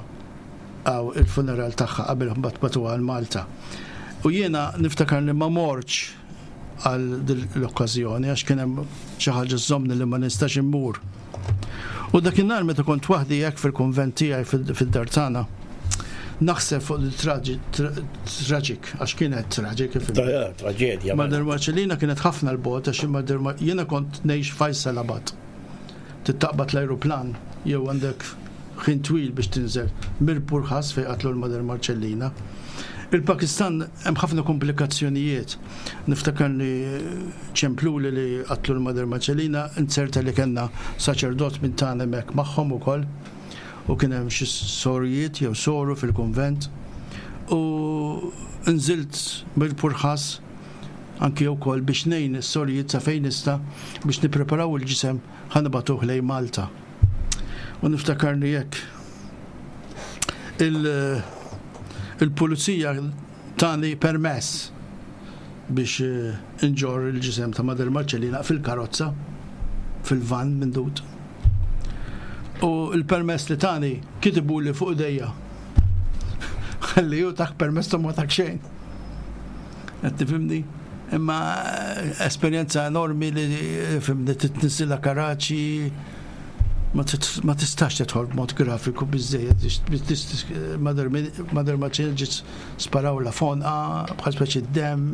għaw il-funeral tagħha qabel mbagħad bagħtuha għal Malta. U jiena niftakar li ma mortx għal l-okkażjoni għax kien hemm xi ħaġa żżommni li ma nistax immur. U dakinhar meta kont waħdi hekk fil-kunvent tiegħi fid-dar tagħna, naħseb fuq il-tragic, għax kienet tragic. Traġedja. Mother Marcellina kienet ħafna 'l bogħod għax Mother jiena kont ngħix Faisalabad. Taqbad l-aeroplan jew għandek ħin twil biex tinżel Mirpur Khas fejn qatlu l-Mother Marcellina. Il-Pakistan hemm ħafna komplikazzjonijiet. Niftakar li ċempluli li qatlu l-Mother Marcellina, inzerta li kellna saċerdot minn tagħna hemmhekk magħhom ukoll u kien hemm xi sorijiet jew soru fil-konvent u nżilt Mirpur Khas anki wkoll biex ngħin is-sorijiet sa fejn nista' biex nippreparaw il-ġisem ħa nibagħtuh lejn Malta. U niftakarni jekk il-pulizija tani permess biex eh, inġorr il-ġisem ta' Mother Marcellina fil-karozza, fil-van mindud. U il-permess li tani kitibu li fuq idejja. Għalli ju tak permess ta' ma tak xejn. Qed tifhimni? Imma eh, esperjenza enormi li, fhimni, titniżżilha Karachi, ma tistax tidħol b'mod grafiku biżejjed. Mother Marcellina ġiet sparawlha f'għonqha bħal speċi dem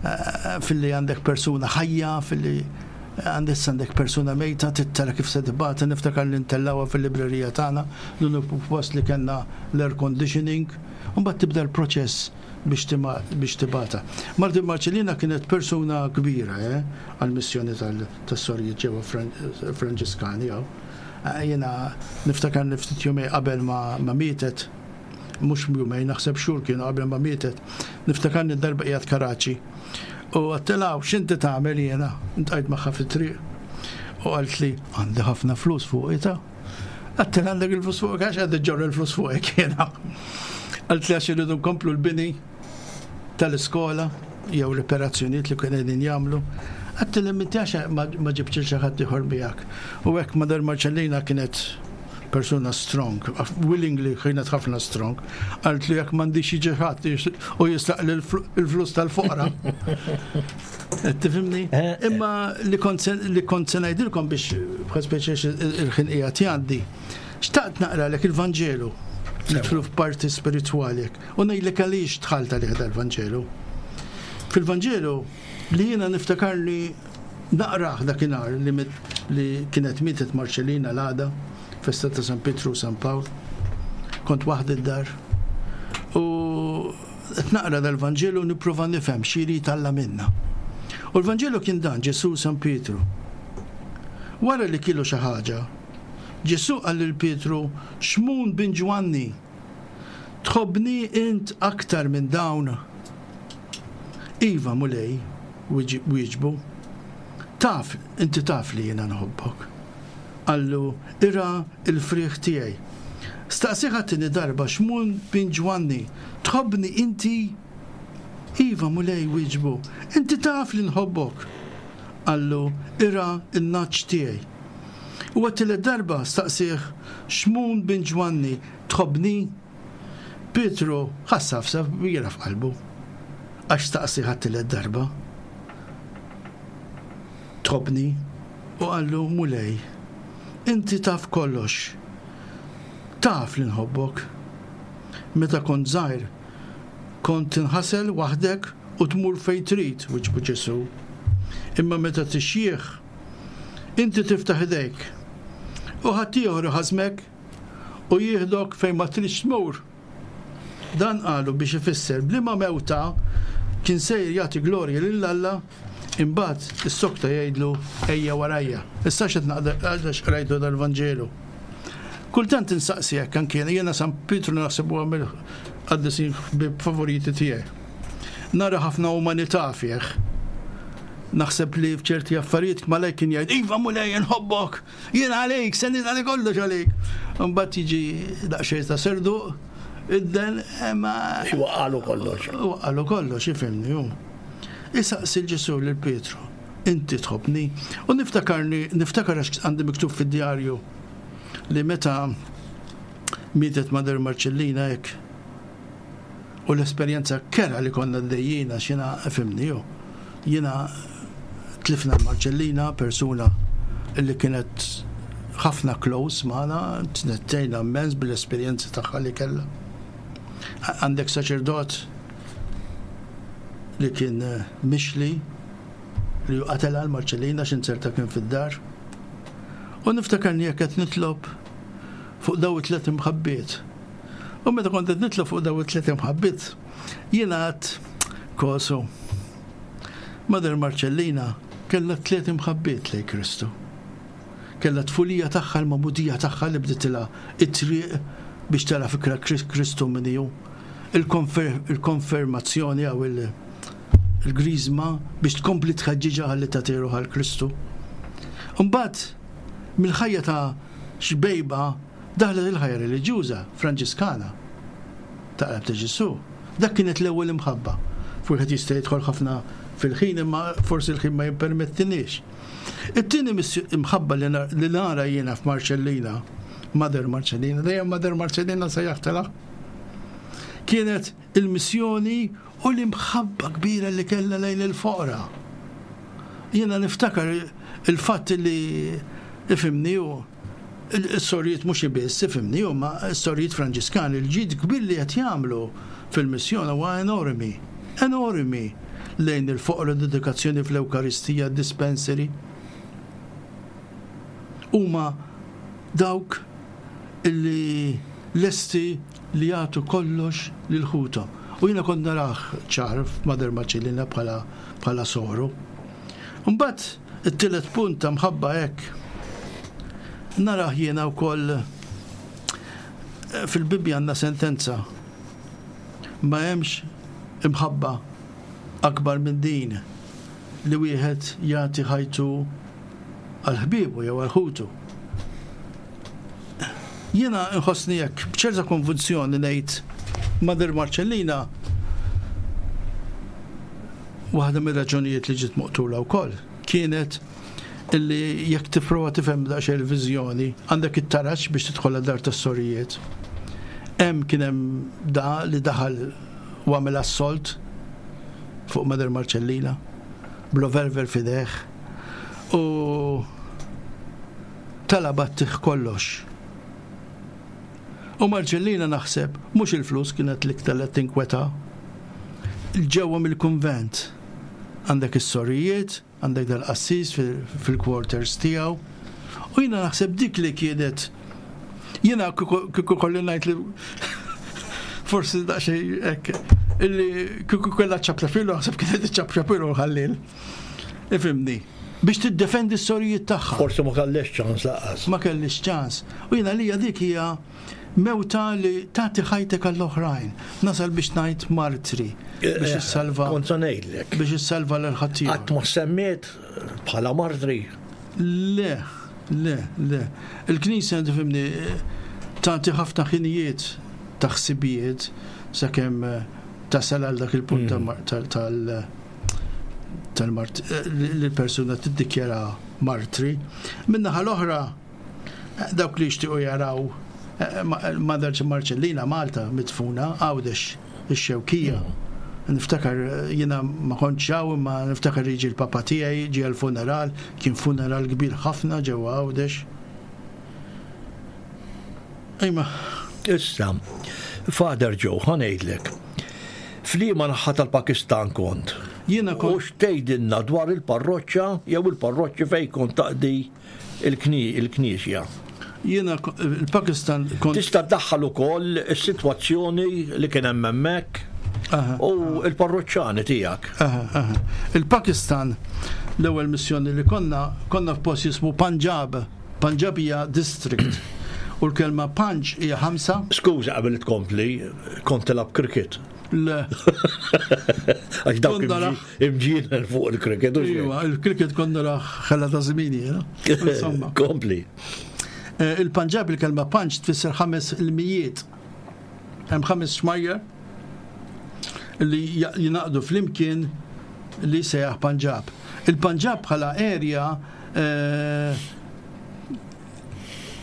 eh, filli għandek persuna ħajja, filli għandek għandek persuna mejta, tittara kif se tibgħata. Niftakar li ntellgħuha fil-librerija tagħna, l-uniku post li kellna l-air conditioning, u mbagħad tibda l-proċess biex tibgħatha. Mother Marcellina kienet persuna kbira eh, għal-missjoni tas-sorijiet ġewwa Franġiskani. Eh, jiena niftakar li ftit jumejn qabel ma mietet Mhux jumejn, naħseb xhur kienu qabel ma mietet. Niftakarni darba qiegħed Karaċi. U għedtilha, x'inti tagħmel jiena? Iltqajt magħha fit-triq. U qaltli, għandi ħafna flus fuq ta. Għedtilha għandek il-flus fuq għax għad ġorr il-flus fuq jiena. Qaltli għax irridu nkomplu l-bini tal-iskola jew l-operazzjonijiet li kienu qegħdin jagħmlu. Għedtilha inti għax ma ġibtx xi ħadd ieħor miegħek. U hekk Mother Marcellina kienet persuna strong, willingly kienet ħafna strong. Qaltli jekk m'għandix jiġi ħadd u jisraq il-flus tal-foqra. Tifhimni? Eh, eh. Imma li kont se ngħidilkom biex bħal speċi il-ħin qiegħed jgħaddi. Xtaqt naqralek il-Vanġelu. Nidħlu f'parti spiritwali u ngħidlek għaliex dħalt għalih dal-Vanġelu. Fil-Vanġelu li jiena niftakarni naqrah dakinhar li, li kienet mietet Marcellina l-għada, festa ta' San Pietru u San Pawl, kont waħdi d-dar. U qed naqra dal-Vanġelu nipprova nifhem x'irid Alla minna. U l-Vanġelu kien dan Ġesu San Pietru. Wara li kielu xi ħaġa, Ġesu qal lil Pietru, Xmun bin Ġwanni, tħobbni int aktar minn dawn? Iva, Mulej, wieġbu, taf, inti taf li jiena nħobbok. Qallu, irgħa il-frieħ tiegħi. Staqsieh għat-tieni darba, Xmun bin Ġwanni, tħobbni inti? Iva, Mulej, wieġbu, inti taf li nħobbok. Qallu, irgħa in-nagħaġ tiegħi. U għat-tielet darba staqsieh, Xmun bin Ġwanni, tħobbni? Pietru ħass għafsa kbira f'qalbu. Għax staqsieh għat-tielet darba. Tħobbni? U qallu, Mulej, inti taf kollox. Taf li nħobbok. Meta kont żgħir, kont tinħasel waħdek u tmur fejn trid, wieġbu Ġesu. Imma meta tixjieħ, inti tiftaħ idejk. U ħaddieħor iħażżmek u jieħdok fejn ma tridx tmur. Dan qalu biex ifisser b'liema mewta kien sejjer jagħti glorja lil Alla, imbagħad issokta jgħidlu ejja warajja. Issa x'qed naqra qrajtu dal-Vanġelu. Kultant insaqsi hekk anke jiena San Pietru naħseb huwa mill-qaddisin favoriti tiegħi. Nara ħafna umanità fih. Naħseb li f'ċerti affarijiet malaj kien jgħid, Iva Mulej nħobbok, jien għalik, se nagħti kollox għalik. Mbagħad jiġi daqsxejn ta' serduq, idden ma. Waqqalu kollox. Waqqalu kollox, ifhimni hu. Isaqsi Ġesu lil Pietru, inti tħobbni. U niftakarni, niftakar għax għandi miktub fid-djarju li meta mietet Mother Marcellina hekk u l-esperjenza kerha li konna għaddejjina xina ifhimni hu. Jiena tlifna Marcellina, persuna li kienet ħafna close magħna, tnettejna immens bil-esperjenzi tagħha li kellha. Għandek saċerdot li kien eh, mixli li qatela l-Marcellina x'inzerta kien fid-dar. U niftakarni jekk qed nitlob fuq daw it-tlet imħabbiet. U meta kont qed nitlob fuq daw it-tlet imħabbiet, jiena għedt kosu. Mother Marcellina kellha tliet imħabbiet lejn Kristu. Kellha tfulija tagħha l-magħmudija tagħha li bditilha it-triq biex tara fikra Kristu min hu. Il-konfermazzjoni jew il-griżma biex tkompli tħeġġiġha ħalli tagħti ruħha għal Kristu. Mbagħad mill-ħajja ta' xbejba daħlet il-ħajja reliġjuża Franġiskana ta' qalb ta' Ġesu. Dak kienet l-ewwel imħabba. Wieħed jista' jidħol ħafna fil-ħin imma forsi l-ħin ma jippermettinix. It-tieni imħabba li nara jiena f'Marcellina, Mother Marcellina, dejjem Mother Marcellina sejjaħtilha, kienet il-missjoni u l-imħabba kbira li kellha lejn il-foqra. Jiena niftakar il-fatt li ifhimni u il-sorijiet mhux biss ifhimni u ma s-sorijiet Franġiskani il-ġid kbir li qed jagħmlu fil-missjoni huwa enormi, enormi lejn il-foqra dedikazzjoni fl-Ewkaristija, dispensary. Huma dawk illi lesti li jagħtu kollox lil ħuthom. U jiena kont narah ċar f'Mother Marcellina bħala bħala soru. Mbagħad it-tielet punt ta' mħabba hekk narah jiena wkoll fil-Bibbja għandna sentenza Ma hemmx imħabba akbar minn din li wieħed jagħti ħajtu għal ħbiebu jew għal ħutu. Jiena nħossni hekk b'ċerta konvulsjoni ngħid Mother Marcellina waħda mir-raġunijiet li ġiet moqtula wkoll kienet illi jekk tipprova tifhem daqsxejn il-viżjoni għandek it-taraġ biex tidħol dar tas-sorijiet. Hemm kien hemm da li daħal u għamel assault fuq Mother Marcellina b'revolver f'idejh u talabha ttih kollox. U Marcellina naħseb mhux il-flus kienet l-iktar li tinkweta. Ġewwa mill-kunvent għandek is-sorijiet, għandek dal-qassis fil-quarters tiegħu. U jiena naħseb dik li kienet jiena kieku kolli ngħid li forsi daqsxejn hekk illi kieku kellha ċapċapilu naħseb kienet iċċapċapilu ħallil. Ifhimni. Biex tiddefendi s-sorijiet tagħha. Forsi ma kellix ċans lanqas. Ma kellix ċans. U jiena lija dik hija mewta li tagħti ħajtek għall-oħrajn. Nasal biex ngħid martri biex issalva. Kont se ngħidlek. Biex issalva lil ħaddieħor. Qatt ma semmiet bħala martri. Le, le, le. Il-Knisja tifhimni tagħti ħafna ħinijiet ta' ħsibijiet sakemm tasal għal dak il-punt tal- tal-mart li l-persuna tiddikjara martri. Min-naħa l-oħra dawk li jixtiequ jaraw Mother Marcellina Malta midfuna Għawdex ix-Xewkija. Niftakar jiena ma kontx hawn imma niftakar jiġi l-papa tiegħi ġie l-funeral, kien funeral kbir ħafna ġewwa Għawdex. Ejma. Issa, Father Joe, ħa ngħidlek. F'liema naħa tal-Pakistan kont? Jiena kont. U x'tgħidilna dwar il-parroċċa jew il-parroċċi fejn kont taqdi il-knisja? Jiena il-Pakistan kont. Tista' ddaħħal ukoll is-sitwazzjoni li kien hemm hemmhekk u l-parroċċani tiegħek. Il-Pakistan l-ewwel missjoni li konna konna f'post jismu Punjab. Punjab hija district. U l-kelma Panj hija ħamsa. Skuża qabel tkompli, kont tilgħab cricket. Le. Għax dawk imġienen fuq il-cricket. Iva, il-cricket konna raħ ħella ta' żmini, Insomma. Kompli. Il-Punjab il-kelma Panj tfisser ħames ilmijiet. Hemm ħames xmajjar li jingħaqdu flimkien li sejjaħ Punjab. Il-Punjab bħala area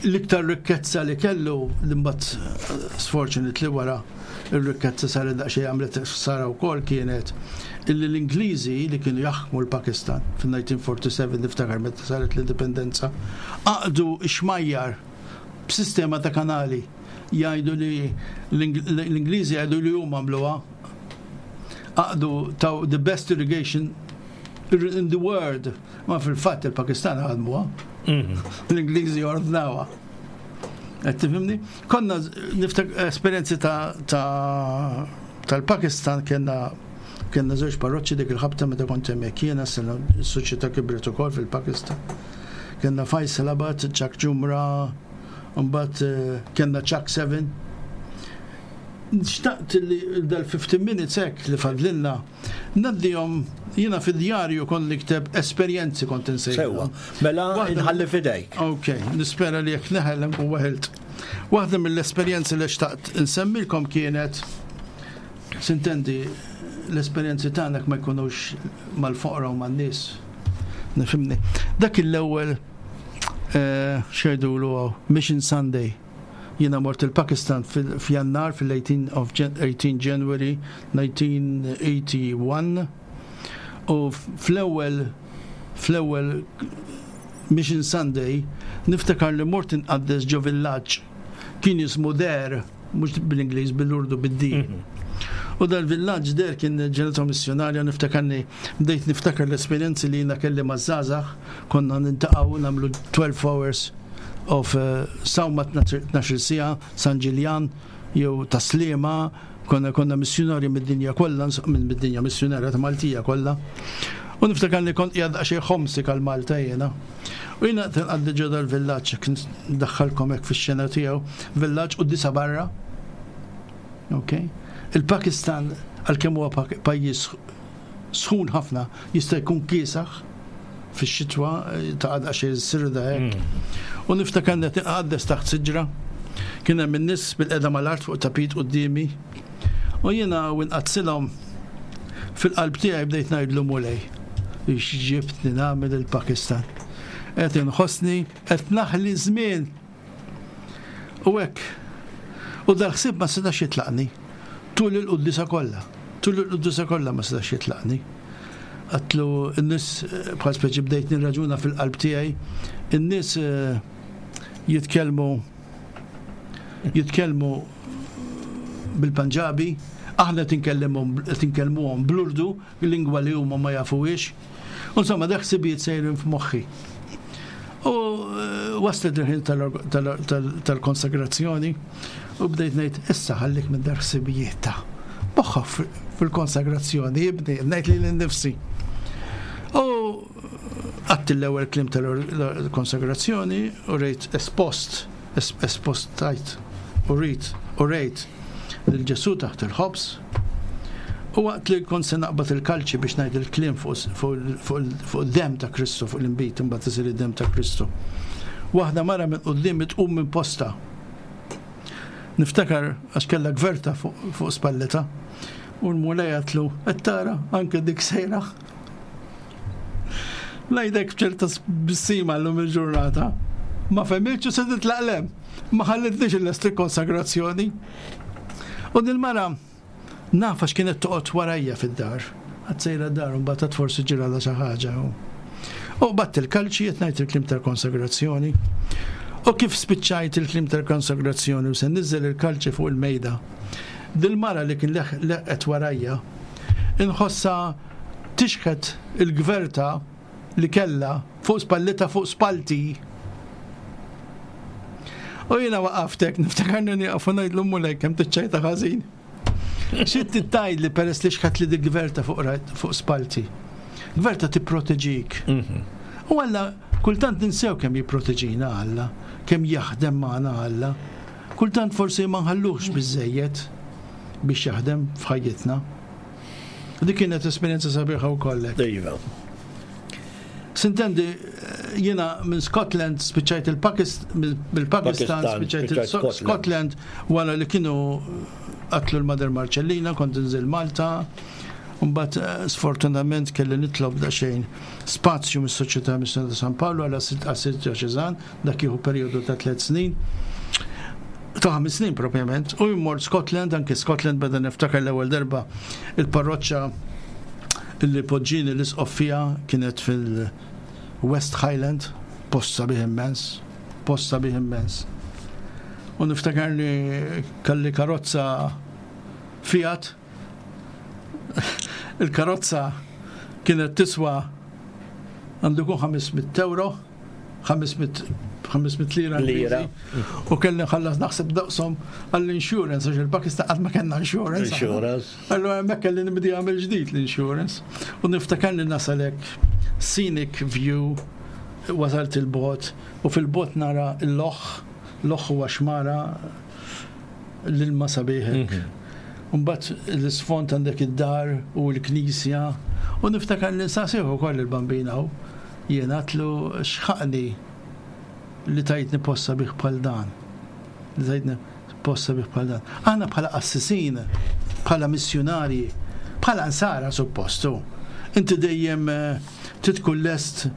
l-iktar rikkezza li kellu li mbagħad sfortunately wara ir-rikkezza saret daqsxejn għamlet sara wkoll kienet illi l-Ingliżi li kienu jaħkmu l-Pakistan fil-nineteen forty-seven niftakar meta saret l-indipendenza għaqdu xmajjar b'sistema ta' kanali jgħidu li l-Ingliżi jgħidu li huma għamluha għaqdu taw the best irrigation in the world ma fil-fatt il-Pakistan ħadmuha. L-Ingliżi ordnawha. Qed tifhimni? Konna niftak esperjenzi ta' tal-Pakistan kellna kellna żewġ parroċċi dik il-ħabta meta kont hemmhekk jiena sena s-soċjetà kibret ukoll fil-Pakistan. Kellna Faisalabad, Chak Jumra, mbagħad kellna Chak seven. Xtaqt li dal fifteen minutes hekk li fadlilna ngħaddihom jiena fid-djarju kont nikteb esperjenzi kont insejħu. Sewwa, mela nħalli f'idejk. Ok, nispera li jekk neħel nkun weħilt. Waħda mill-esperjenzi li xtaqt insemmilkom kienet sintendi l-esperjenzi tagħna ma jkunux mal-foqra u man-nies. Nifhimni. Dak l-ewwel x'jgħidulu Mission Sunday. Jiena mort il-Pakistan f'Jannar fil-eighteen of eighteen January nineteen eighty-one u fl-ewwel fl-ewwel Mission Sunday niftakar li mort inqaddes ġo villaġġ kien jismu Der, mhux bil-Ingliż, bil-Urdu, bid-D. U dal-villaġġ Der kien ġenerazzjoni missjonarja, niftakarni bdejt niftakar l-esperjenzi li jiena kelli maż-żgħażagħ, konna nintaqgħu nagħmlu twelve hours of sawma tnax-il siegħa, San Ġiljan jew Taslima, konna konna missjonarji mid-dinja kollha, minn mid-dinja missjonarja ta' Maltija kollha. U niftakar li kont qiegħed daqsxejn ħomsik għal Malta jiena. U jiena tinqaddi ġo dal-villaġġ, kien ndaħħalkom hekk fix-xena tiegħu, villaġġ u disa barra. Ok? Il-Pakistan, għalkemm huwa pajjiż sħun ħafna, jista' jkun kiesaħ fix-xitwa, ta' għadqa xi sirda hekk. U niftakar qed inqaddes taħt siġra, kien hemm in-nies bil-qeda mal-art fuq tapit quddiemi. U jiena u nqaddsilhom fil-qalb tiegħi bdejt ngħidlu Mulej, x'ġibtni nagħmel il-Pakistan. Qed inħossni qed naħli żmien. U hekk. U dal-ħsieb ma setax jitlaqni. Tul il-quddisa kollha. Tul il-quddisa kollha ma setax jitlaqni. Għatlu n-nies, bħal speċi bdejt nirraġuna fil-qalb tiegħi, in-nies jitkellmu jitkellmu bil-Panġabi, aħna tinkellmuhom bl-Urdu, lingwa li huma ma jafuhiex. Insomma, dak ħsibijiet sejrin f'moħħi. U waslet il-ħin tal-konsagrazzjoni u bdejt ngħid issa ħallik minn dar ħsibijiet ta' moħħok fil-konsagrazzjoni, ibni, ngħid lili nnifsi. U għadt l-ewwel kliem tal-konsagrazzjoni u rejt espost, espost tajt, u rejt, u rejt lil Ġesù taħt il-ħobż. U waqt li kont se naqbad il-kalċi biex ngħid il-kliem fuq id-demm ta' Kristu, fuq l-inbid, imbagħad isir id-demm ta' Kristu. Waħda mara minn quddiem tqum minn posta. Niftakar għax kellha gverta fuq spalleta. U l-Mulej għatlu, qed tara anke dik sejra. Ngħidlek b'ċerta bissima llum il-ġurnata. Ma fehmitx u se titlaq lem. Ma ħallitniex il-lest konsagrazzjoni. U dil-mara naf għax kienet toqgħod warajja fid-dar. Għad sejra dar u mbagħad forsi ġralha xi ħaġa. U batt il-kalċi qed ngħid il-kliem tal-konsagrazzjoni. U kif spiċċajt il-kliem tal-konsagrazzjoni u se niżel il-kalċi fuq il-mejda. Dil-mara li kien leqet warajja inħossa tixħet il-gverta li kella fuq spallita fuq spalti. U jiena waqaftek, niftakarni nieqaf u ngħidlu Mulej kemm tiċċajta ħażin. Xi tgħid li peress li xħat li dik gverta fuq spalti. Gverta tipproteġik. U Alla kultant ninsew kemm jipproteġina Alla, kemm jaħdem magħna Alla. Kultant forsi ma nħalluhx biżejjed biex jaħdem f'ħajjitna. Dik kienet esperjenza sabiħa wkoll. Iva. Sintendi, jiena minn Scotland spiċċajt il-Pakistan, spiċċajt il-Scotland wara li kienu qatlu l-Mother Marcellina, kont nżil Malta. Mbagħad sfortunatament kelli nitlob daqsxejn spazju mis-Soċjetà Missjoni ta' San Paolo għal Assis Djoċeżan, dak jieħu perjodu ta' tliet snin. Ta' ħames snin propjament. U jmort Scotland, anke Scotland beda niftakar l-ewwel darba il-parroċċa li poġġini l-isqof fiha kienet fil-West Highland, post sabiħ immens, post sabiħ immens. U niftakar li kelli karozza Fiat, il-karozza kienet tiswa għandu kun ħames mitt euro, ħames mitt lira Lira. U kelli nħallas naħseb daqshom għall-insurance, għax il-Pakistan qatt ma kellna insurance. Insurance. Allora hemmhekk kelli nibdi għamel ġdid l-insurance. U niftakar li nasalek scenic view, wasalt il-bot, u fil-bot nara l-loħ, l-loħ huwa xmara l-ilma sabiħek. Mbagħad l-isfond għandek id-dar u l-knisja, u niftakar li nsaqsih ukoll il-bambina hu. Jien għatlu xħaqni li tajtni post sabiħ bħal dan. Li tajtni post sabiħ bħal dan. Aħna bħala qassisin, bħala missjunarji, bħala nsara suppostu. Inti dejjem titkun lest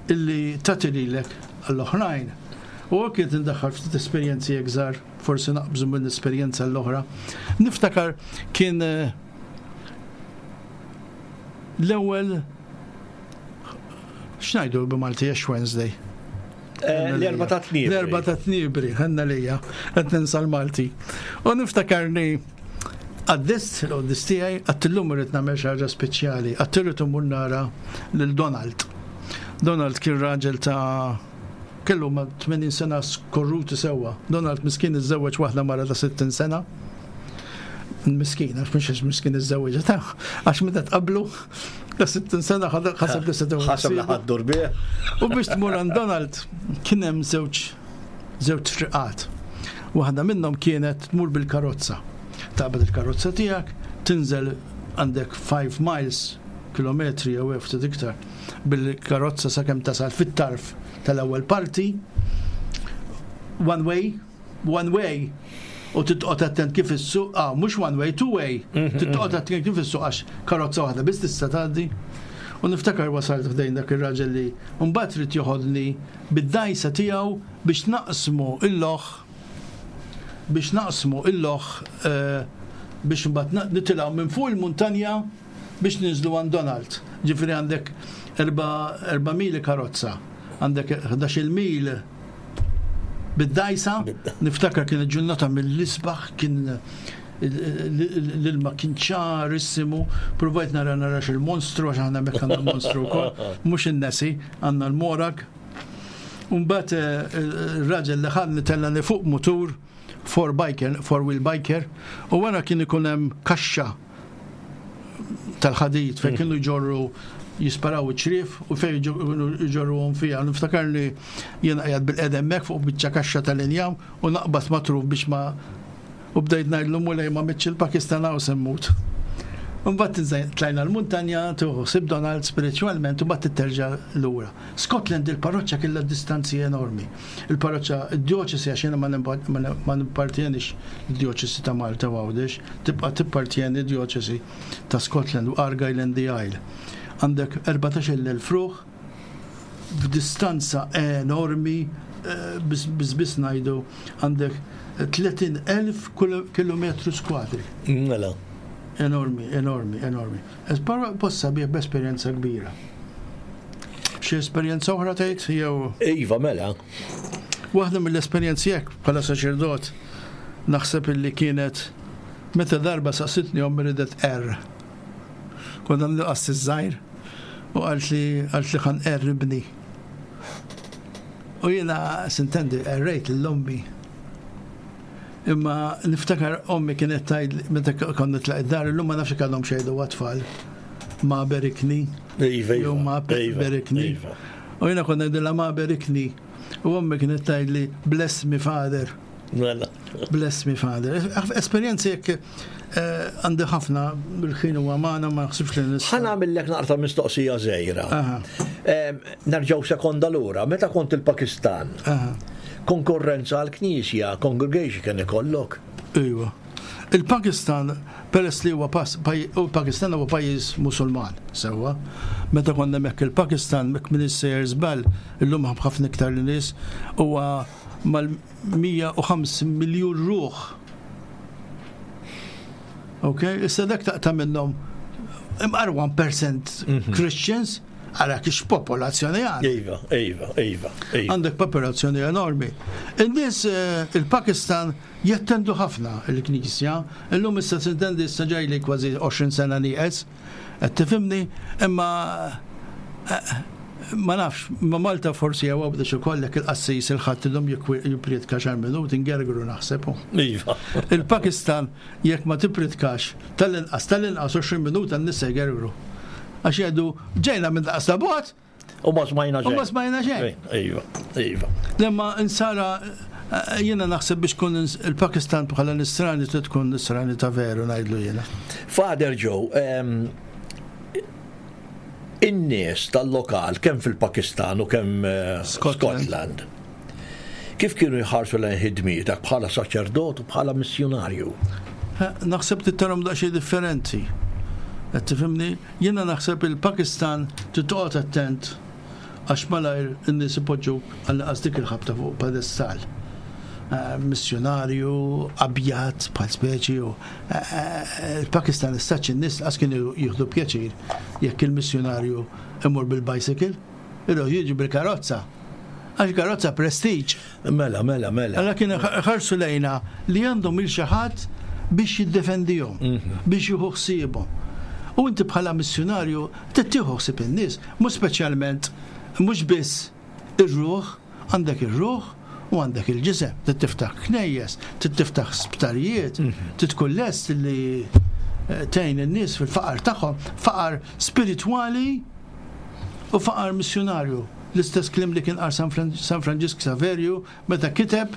illi tagħti lilek għall-oħrajn. U hekk qed indaħħal ftit esperjenzi żgħar, forsi naqbżu minn esperjenza l-oħra. Niftakar kien l-ewwel x'ngħidu b'Malti Ash Wednesday? L-erba ta' tnibri. L-erba ta' tnibri, ħanna lija, qed ninsa l-Malti. U niftakarni għaddist, l-għaddist tiegħi, għattillum irrid nagħmel xi ħaġa speċjali, għattirrid immur nara lil Donald. Donald kien raġel ta' kellu ma' tmenin sena skorruti sewwa. Donald miskin iżżewweġ waħda mara ta' sittin sena. Miskin, għax mhux miskin iżżewweġ, ta' għax meta tqablu ta' sittin sena ħaseb li se tgħu. Ħaseb li ħaddur bih. U biex tmur għand Donald kien hemm żewġ żewġ triqat. Waħda minnhom kienet tmur bil-karozza. Taqbad il-karozza tiegħek, tinżel għandek five miles, kilometri jew ftit iktar, bil-karozza sakemm tasal fit-tarf tal-ewwel parti, one way, one way, u titqgħod attent kif issuq, ah, mhux one way, two way, titqgħod attent kif issuq għax karozza waħda biss tista' tgħaddi. U niftakar wasalt ħdejn dak ir-raġel li mbagħad trid joħodni bid-dajsa tiegħu biex naqsmu il-loch biex naqsmu il-loch eh, biex mbagħad nitilgħu minn fuq il-muntanja biex ninżlu għand Donald. Ġifieri għandek erba' mili karozza, għandek ħdax-il mil bid-dajsa, niftakar kien ġurnata mill-isbaħ, kien l-ilma kien ċarissimu, provajt nara narax il-monstru, għax aħna hemmhekk għandna l-monstru wkoll, mhux in-Nessie, għandna l-Morag. Mbagħad il-raġel li ħadni tellani fuq mutur, four biker, four wheel biker, u wara kien ikun hemm kaxxa tal-ħadid fejn kienu jġorru jisparaw iċ-ċriev u fejn jġorruhom fiha. Niftakar li jiena qiegħed bil-qedem hemmhekk fuq biċċa kaxxa tal-injam u naqbad matruf biex ma u bdejt ngħidlu Mulej ma mitx il-Pakistan hawn se mmut. Mbagħad tlajna l-muntanja, tieħu ħsieb Donald spiritualment u mbagħad terġa' lura. Scotland il-parroċċa kellha distanzi enormi. Il-parroċċa, id-djoċesi, għax jiena ma nippartjenix id-djoċesi ta' Malta u Għawdex, tibqa' tippartjeni d-djoċesi ta' Scotland u Argyll and the Isle. Għandek erbatax-il elf ruħ f'distanza enormi, biss biss ngħidu għandek tletin elf kilometru skwadri. Mela. Enormi, enormi, enormi. Post sabiħ b'esperjenza kbira. Xi esperjenza oħra tgħid jew? Iva, mela. Waħda mill-esperjenzi hekk bħala saċerdot naħseb illi kienet meta darba saqsitni ommi ridet R. Konna nilqas iż-żgħir u qalt li qalt li ħa nqerr ibni. U jiena sintendi qerrejt lil ommi. Imma niftakar ommi kienet tgħid meta konna nitlaq id-dar, illum ma nafx kellhom xejdu għat-tfal. Ma berikni. Iva, Jew ma iva, berikni. iva. U jiena konna ngħidilha ma berikni. U ommi kienet tgħidli bless me father. Mela. Bless me father. Esperjenzi jekk eh, għandi ħafna bil-ħin u għamana ma naħsibx li nista'. Ħa nagħmillek naqra mistoqsija żgħira. Aha. Em, Nerġgħu sekonda lura, meta kont il-Pakistan, Aha. konkurrenza għal-knisja, congregation kien ikollok? Iva. Il-Pakistan, peress li huwa pas, paj, u Pakistan huwa pajjiż Musulman, sewwa. Meta konna hemmhekk il-Pakistan, mek minn sejjer żball, illum ħafna iktar li nies, huwa mal-mija u ħamsin miljun ruħ. Ok, issa dak taqta' minnhom imqar one percent Mhm. Christians, għara kix popolazzjoni għandek. Iva, iva, iva, iva. Għandek popolazzjoni enormi. In-nies eh, il-Pakistan jattendu ħafna il-Knisja, illum issa sintendi issa ġejli kważi għoxrin sena nieqes, qed tifhimni, imma, eh, ma nafx, ma Malta forsi jew Għawdex ikollek il-qassis il-ħadd illum jippriedka xar minuti ngergru naħseb. Iva. Il-Pakistan jekk ma tippritkax tal-inqas tal-inqas għoxrin minuta n-nies se jgergru. Għax jgħidu ġejna minn daqs ta' bot U ma smajna xejn. U ma smajna xejn. Iva, iva. Lemma insara eh, jiena naħseb biex tkun il-Pakistan bħala nisrani trid tkun nisrani ta' veru ngħidlu jiena. Father Joe, em, in-nies tal-lokal kemm fil-Pakistan u kemm eh, Scotland. Scotland, kif kienu jħarsu lejn ħidmietek bħala saċerdot u bħala missjonarju? Eh, Naħseb tittarhom daqsxejn differenti. Qed tifhimni? Jiena naħseb il-Pakistan trid toqgħod attent għax malajr in-nies ipoġġu għall-inqas dik il-ħabta fuq pedestal. Eh, missjonarju, abjad, bħal speċi u, eh, eh, il-Pakistan istaċ in-nies qas kienu jieħdu pjaċir jekk il-missjonarju imur bil-bicycle, ilu jiġi bil-karozza. Għax karozza prestige. Mela, mela, mela. Alla kien ħarsu lejna li għandhom il xi ħadd biex jiddefendihom, Mhm. biex jieħu ħsiebhom. U inti bħala missjonarju trid tieħu ħsieb in-nies, mhux speċjalment mhux biss ir-ruħ, għandek ir-ruħ u għandek il-ġisem, trid tiftaħ knejjes, trid tiftaħ sptarijiet, Mhm. trid tkun lest li, eh, tgħin in-nies fil-faqar tagħhom, faqar spiritwali u faqar missjonarju. L-istess kliem li kien qal San Fran-, San Franġisk Saverju meta kiteb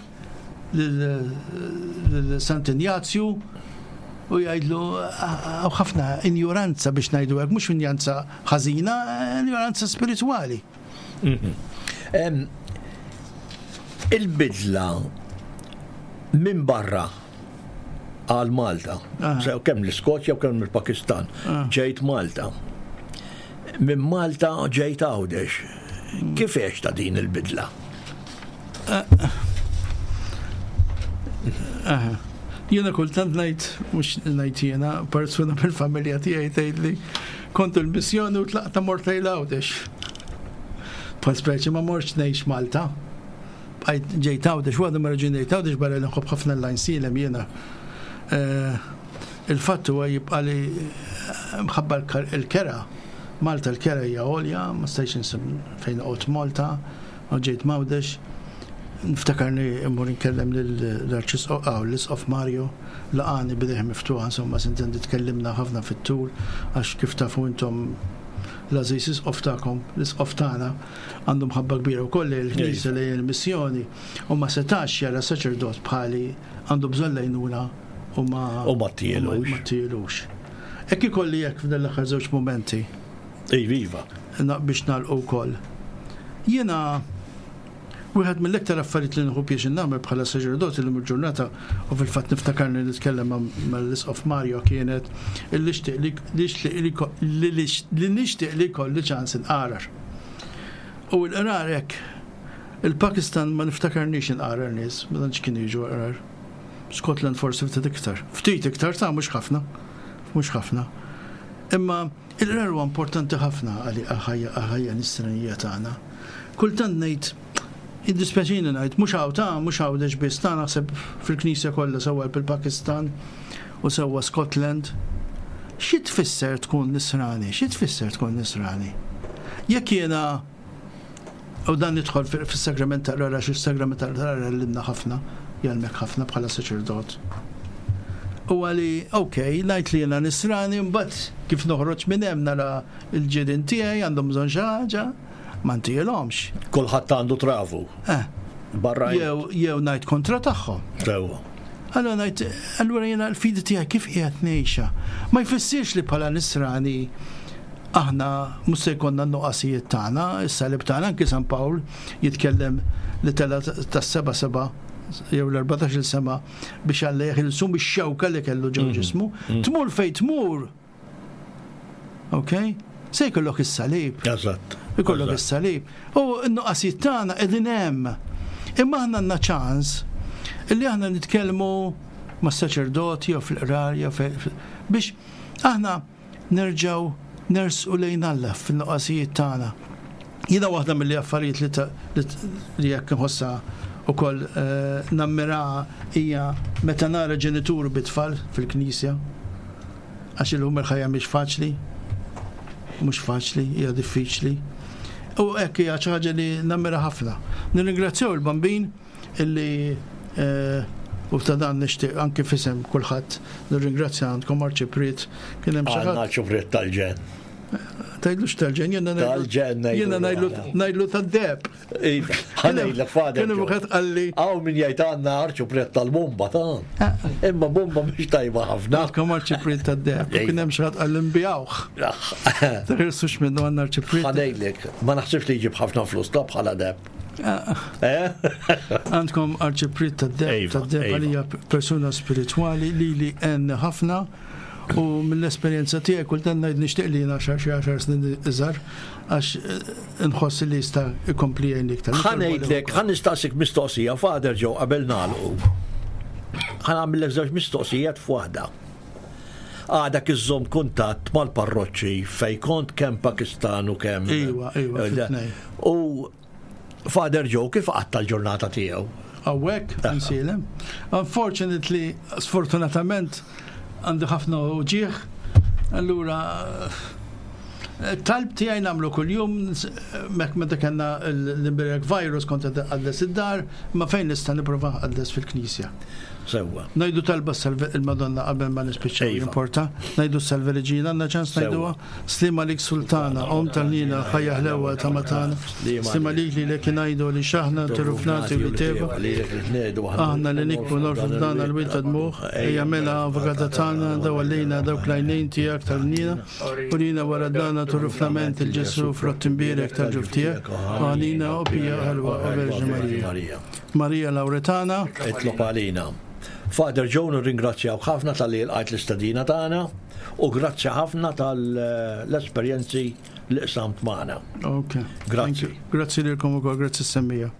lil, lil Sant'Injazju U jgħidlu hawn ħafna injoranza biex ngħidu hekk, mhux injoranza ħażina, injoranza spiritwali. Il-bidla minn barra għal Malta, sew kemm l-Iskozja u kemm il-Pakistan, ġejt Malta. Minn Malta ġejt Għawdex. Kif għex ta' din il-bidla? Jiena kultant ngħid, mhux ngħid jiena, persuna mill-familja tiegħi tgħidli kont il-missjoni u tlaqta mort lejn Għawdex. Bħal speċi ma mortx ngħix Malta. Bqajt ġejt Għawdex, waħda mara ġejt Għawdex barra li nħobb ħafna l-Għajnsielem jiena. Il-fatt huwa jibqa' li mħabba l-kera. Malta l-kera hija għolja, ma stajtx insib fejn noqgħod Malta, u ġejt Għawdex. Niftakarni immur inkellem lill-Arċisqof aw l-Isqof Mario, laqani bidejh miftuħa, insomma sintendi tkellimna ħafna fit-tul għax kif tafu intom l-għażiż isqof tagħkom, l-isqof tagħna għandu mħabba kbira wkoll lejn il-Knisja, lejn il-missjoni, u ma setax jara saċerdot bħali għandu bżonn lejnuna u ma U ma tielux. Ma tielux. Hekk ikolli hekk f'dan l-aħħar żewġ mumenti. Ej, viva. Na, biex nagħlqu wkoll. Jiena wieħed mill-iktar affarijiet li nħu pjaċir nagħmel bħala saċerdot illum il-ġurnata, u fil-fatt niftakarni nitkellem mal-Isqof Mario, kienet illi nixtieq li, li, li, li, li nixtieq li jkolli ċans inqarar. U l-qrar hekk, il-Pakistan ma niftakarnix inqarar nies, ma tantx kienu jiġu qrar. Scotland forsi ftit iktar. Ftit iktar ta' mhux ħafna. Mhux ħafna. Imma il-qrar huwa importanti ħafna għal ħajja nisranija tagħna. Kultant ngħid, id-dispjaċini ngħid, mhux hawn ta' mhux Għawdex biss, ta' naħseb fil-Knisja kollha sewwa fil-Pakistan u sewwa Scotland. Xi tfisser tkun nisrani? Xi tfisser tkun nisrani? Jekk jiena, u dan nidħol fis-sagrament tal-qrar, għax is-sagrament tal-qrar għallimna ħafna, jgħallmek ħafna bħala saċerdot. U għali, ok, ngħid li jiena nisrani, mbagħad kif noħroġ minn hemm nara l-ġirien tiegħi għandhom bżonn xi ħaġa, ma ntielhomx. Kulħadd għandu travu. Eh. Barra Jew, jew ngħid kontra tagħhom. Sewwa. Allura ngħid, allura jiena l-fidi tiegħi kif qiegħed ngħixha? Ma jfissirx li bħala nisrani aħna mhux se jkollna n-nuqqasijiet tagħna, is-salib tagħna, anki San Pawl jitkellem li tela tas-seba' seba' jew l-erbatax-il sema biex Alla jeħilsu mix-xewka li kellu ġew ġismu. Tmur fejn tmur. Ok? Se jkollok is-salib. Eżatt. Ikollok is-salib. U n-nuqqasijiet tagħna qegħdin hemm. Imma aħna għandna ċans illi aħna nitkellmu mas-saċerdoti jew fil-qrar jew biex aħna nerġgħu nersqu lejn Alla fin-nuqqasijiet tagħna. Jiena waħda mill affarijiet li li jekk nħossha ukoll nammira hija meta nara ġenitur bit-tfal fil-knisja, għax illum il-ħajja mhix faċli, mhux faċli, hija diffiċli. U hekk hija xi ħaġa li nammira ħafna. Nirringrazzjaw il-Bambin illi u ta' dan nixtieq anke f'isem kulħadd nirringrazzja għandkom Arċipriet, kien hemm xi ħadd. Għandna Arċipriet tal-ġenn. Tgħidlux tal-ġenn, jiena Tal-ġenn ngħidlu. Jiena ngħidlu ngħidlu tad-deb. Iva, ħa ngħidlek fader. Kien hemm wieħed qalli. Hawn min jgħid għandna Arċipriet tal-bomba ta'. Imma bomba mhix tajba ħafna. Għandkom Arċipriet tad-deb. Kien hemm xi ħadd qalli nbijawh. Teħirsux minnu għandna Arċipriet. Ħa ngħidlek, ma naħsibx li jġib ħafna flus ta' bħala deb. Għandkom Arċipriet tad-deb, tad-deb għalija persuna spiritwali li li għen ħafna. U mill-esperjenza tiegħi kultant ngħid nixtieq li jiena xi għaxar snin iżgħar għax nħoss li jista' jkompli jgħin iktar. Ħa ngħidlek, ħa nistaqsik mistoqsija, Father Joe, qabel nagħlqu. Ħa nagħmellek żewġ mistoqsijiet f'waħda. Għadak iżżomm kuntatt mal-parroċċi fejn kont kemm Pakistan u kemm. Iwa, iwa, fit-tnejn. U Father Joe kif qatta l-ġurnata tiegħu? Hawnhekk, nsielem. Unfortunately, sfortunatament, għandi ħafna uġieħ, allura Talb tiegħi nagħmlu kuljum, mek meta kellna l-imbierek virus kont nqaddes id-dar, ma fejn nista' nipprova nqaddes fil-knisja. Sewwa. Ngħidu talba salve il-Madonna qabel ma nispiċċaw Iva. Importa. Ngħidu Salve Regina, għandna ċans ngħiduha. Sliem għalik Sultana, Omm tal-ħniena, ħajja ħlewa tama tagħna. Sliem għalik li lek ngħidu li x'aħna turufnati u li teba. Aħna li nikbu norfu f'dan il-wied ta' dmugħ, ejja mela avukata tagħna, dawwar lejna dawk l-għajnejn tiegħek tal-ħniena, urina wara dana turufnament 'il Ġesù frott imbierek tal-ġuf tiegħek, o ħanina o pija ħelwa o Verġni Marija. Marija Lauretana, Itlob għalina. Father Joe, nirringrazzjaw ħafna talli lqajt l-istedina tagħna u grazzi ħafna tal-esperjenzi li qsamt magħna. Ok. Grazzi. Thank you. Grazzi lilkom ukoll, grazzi semmija.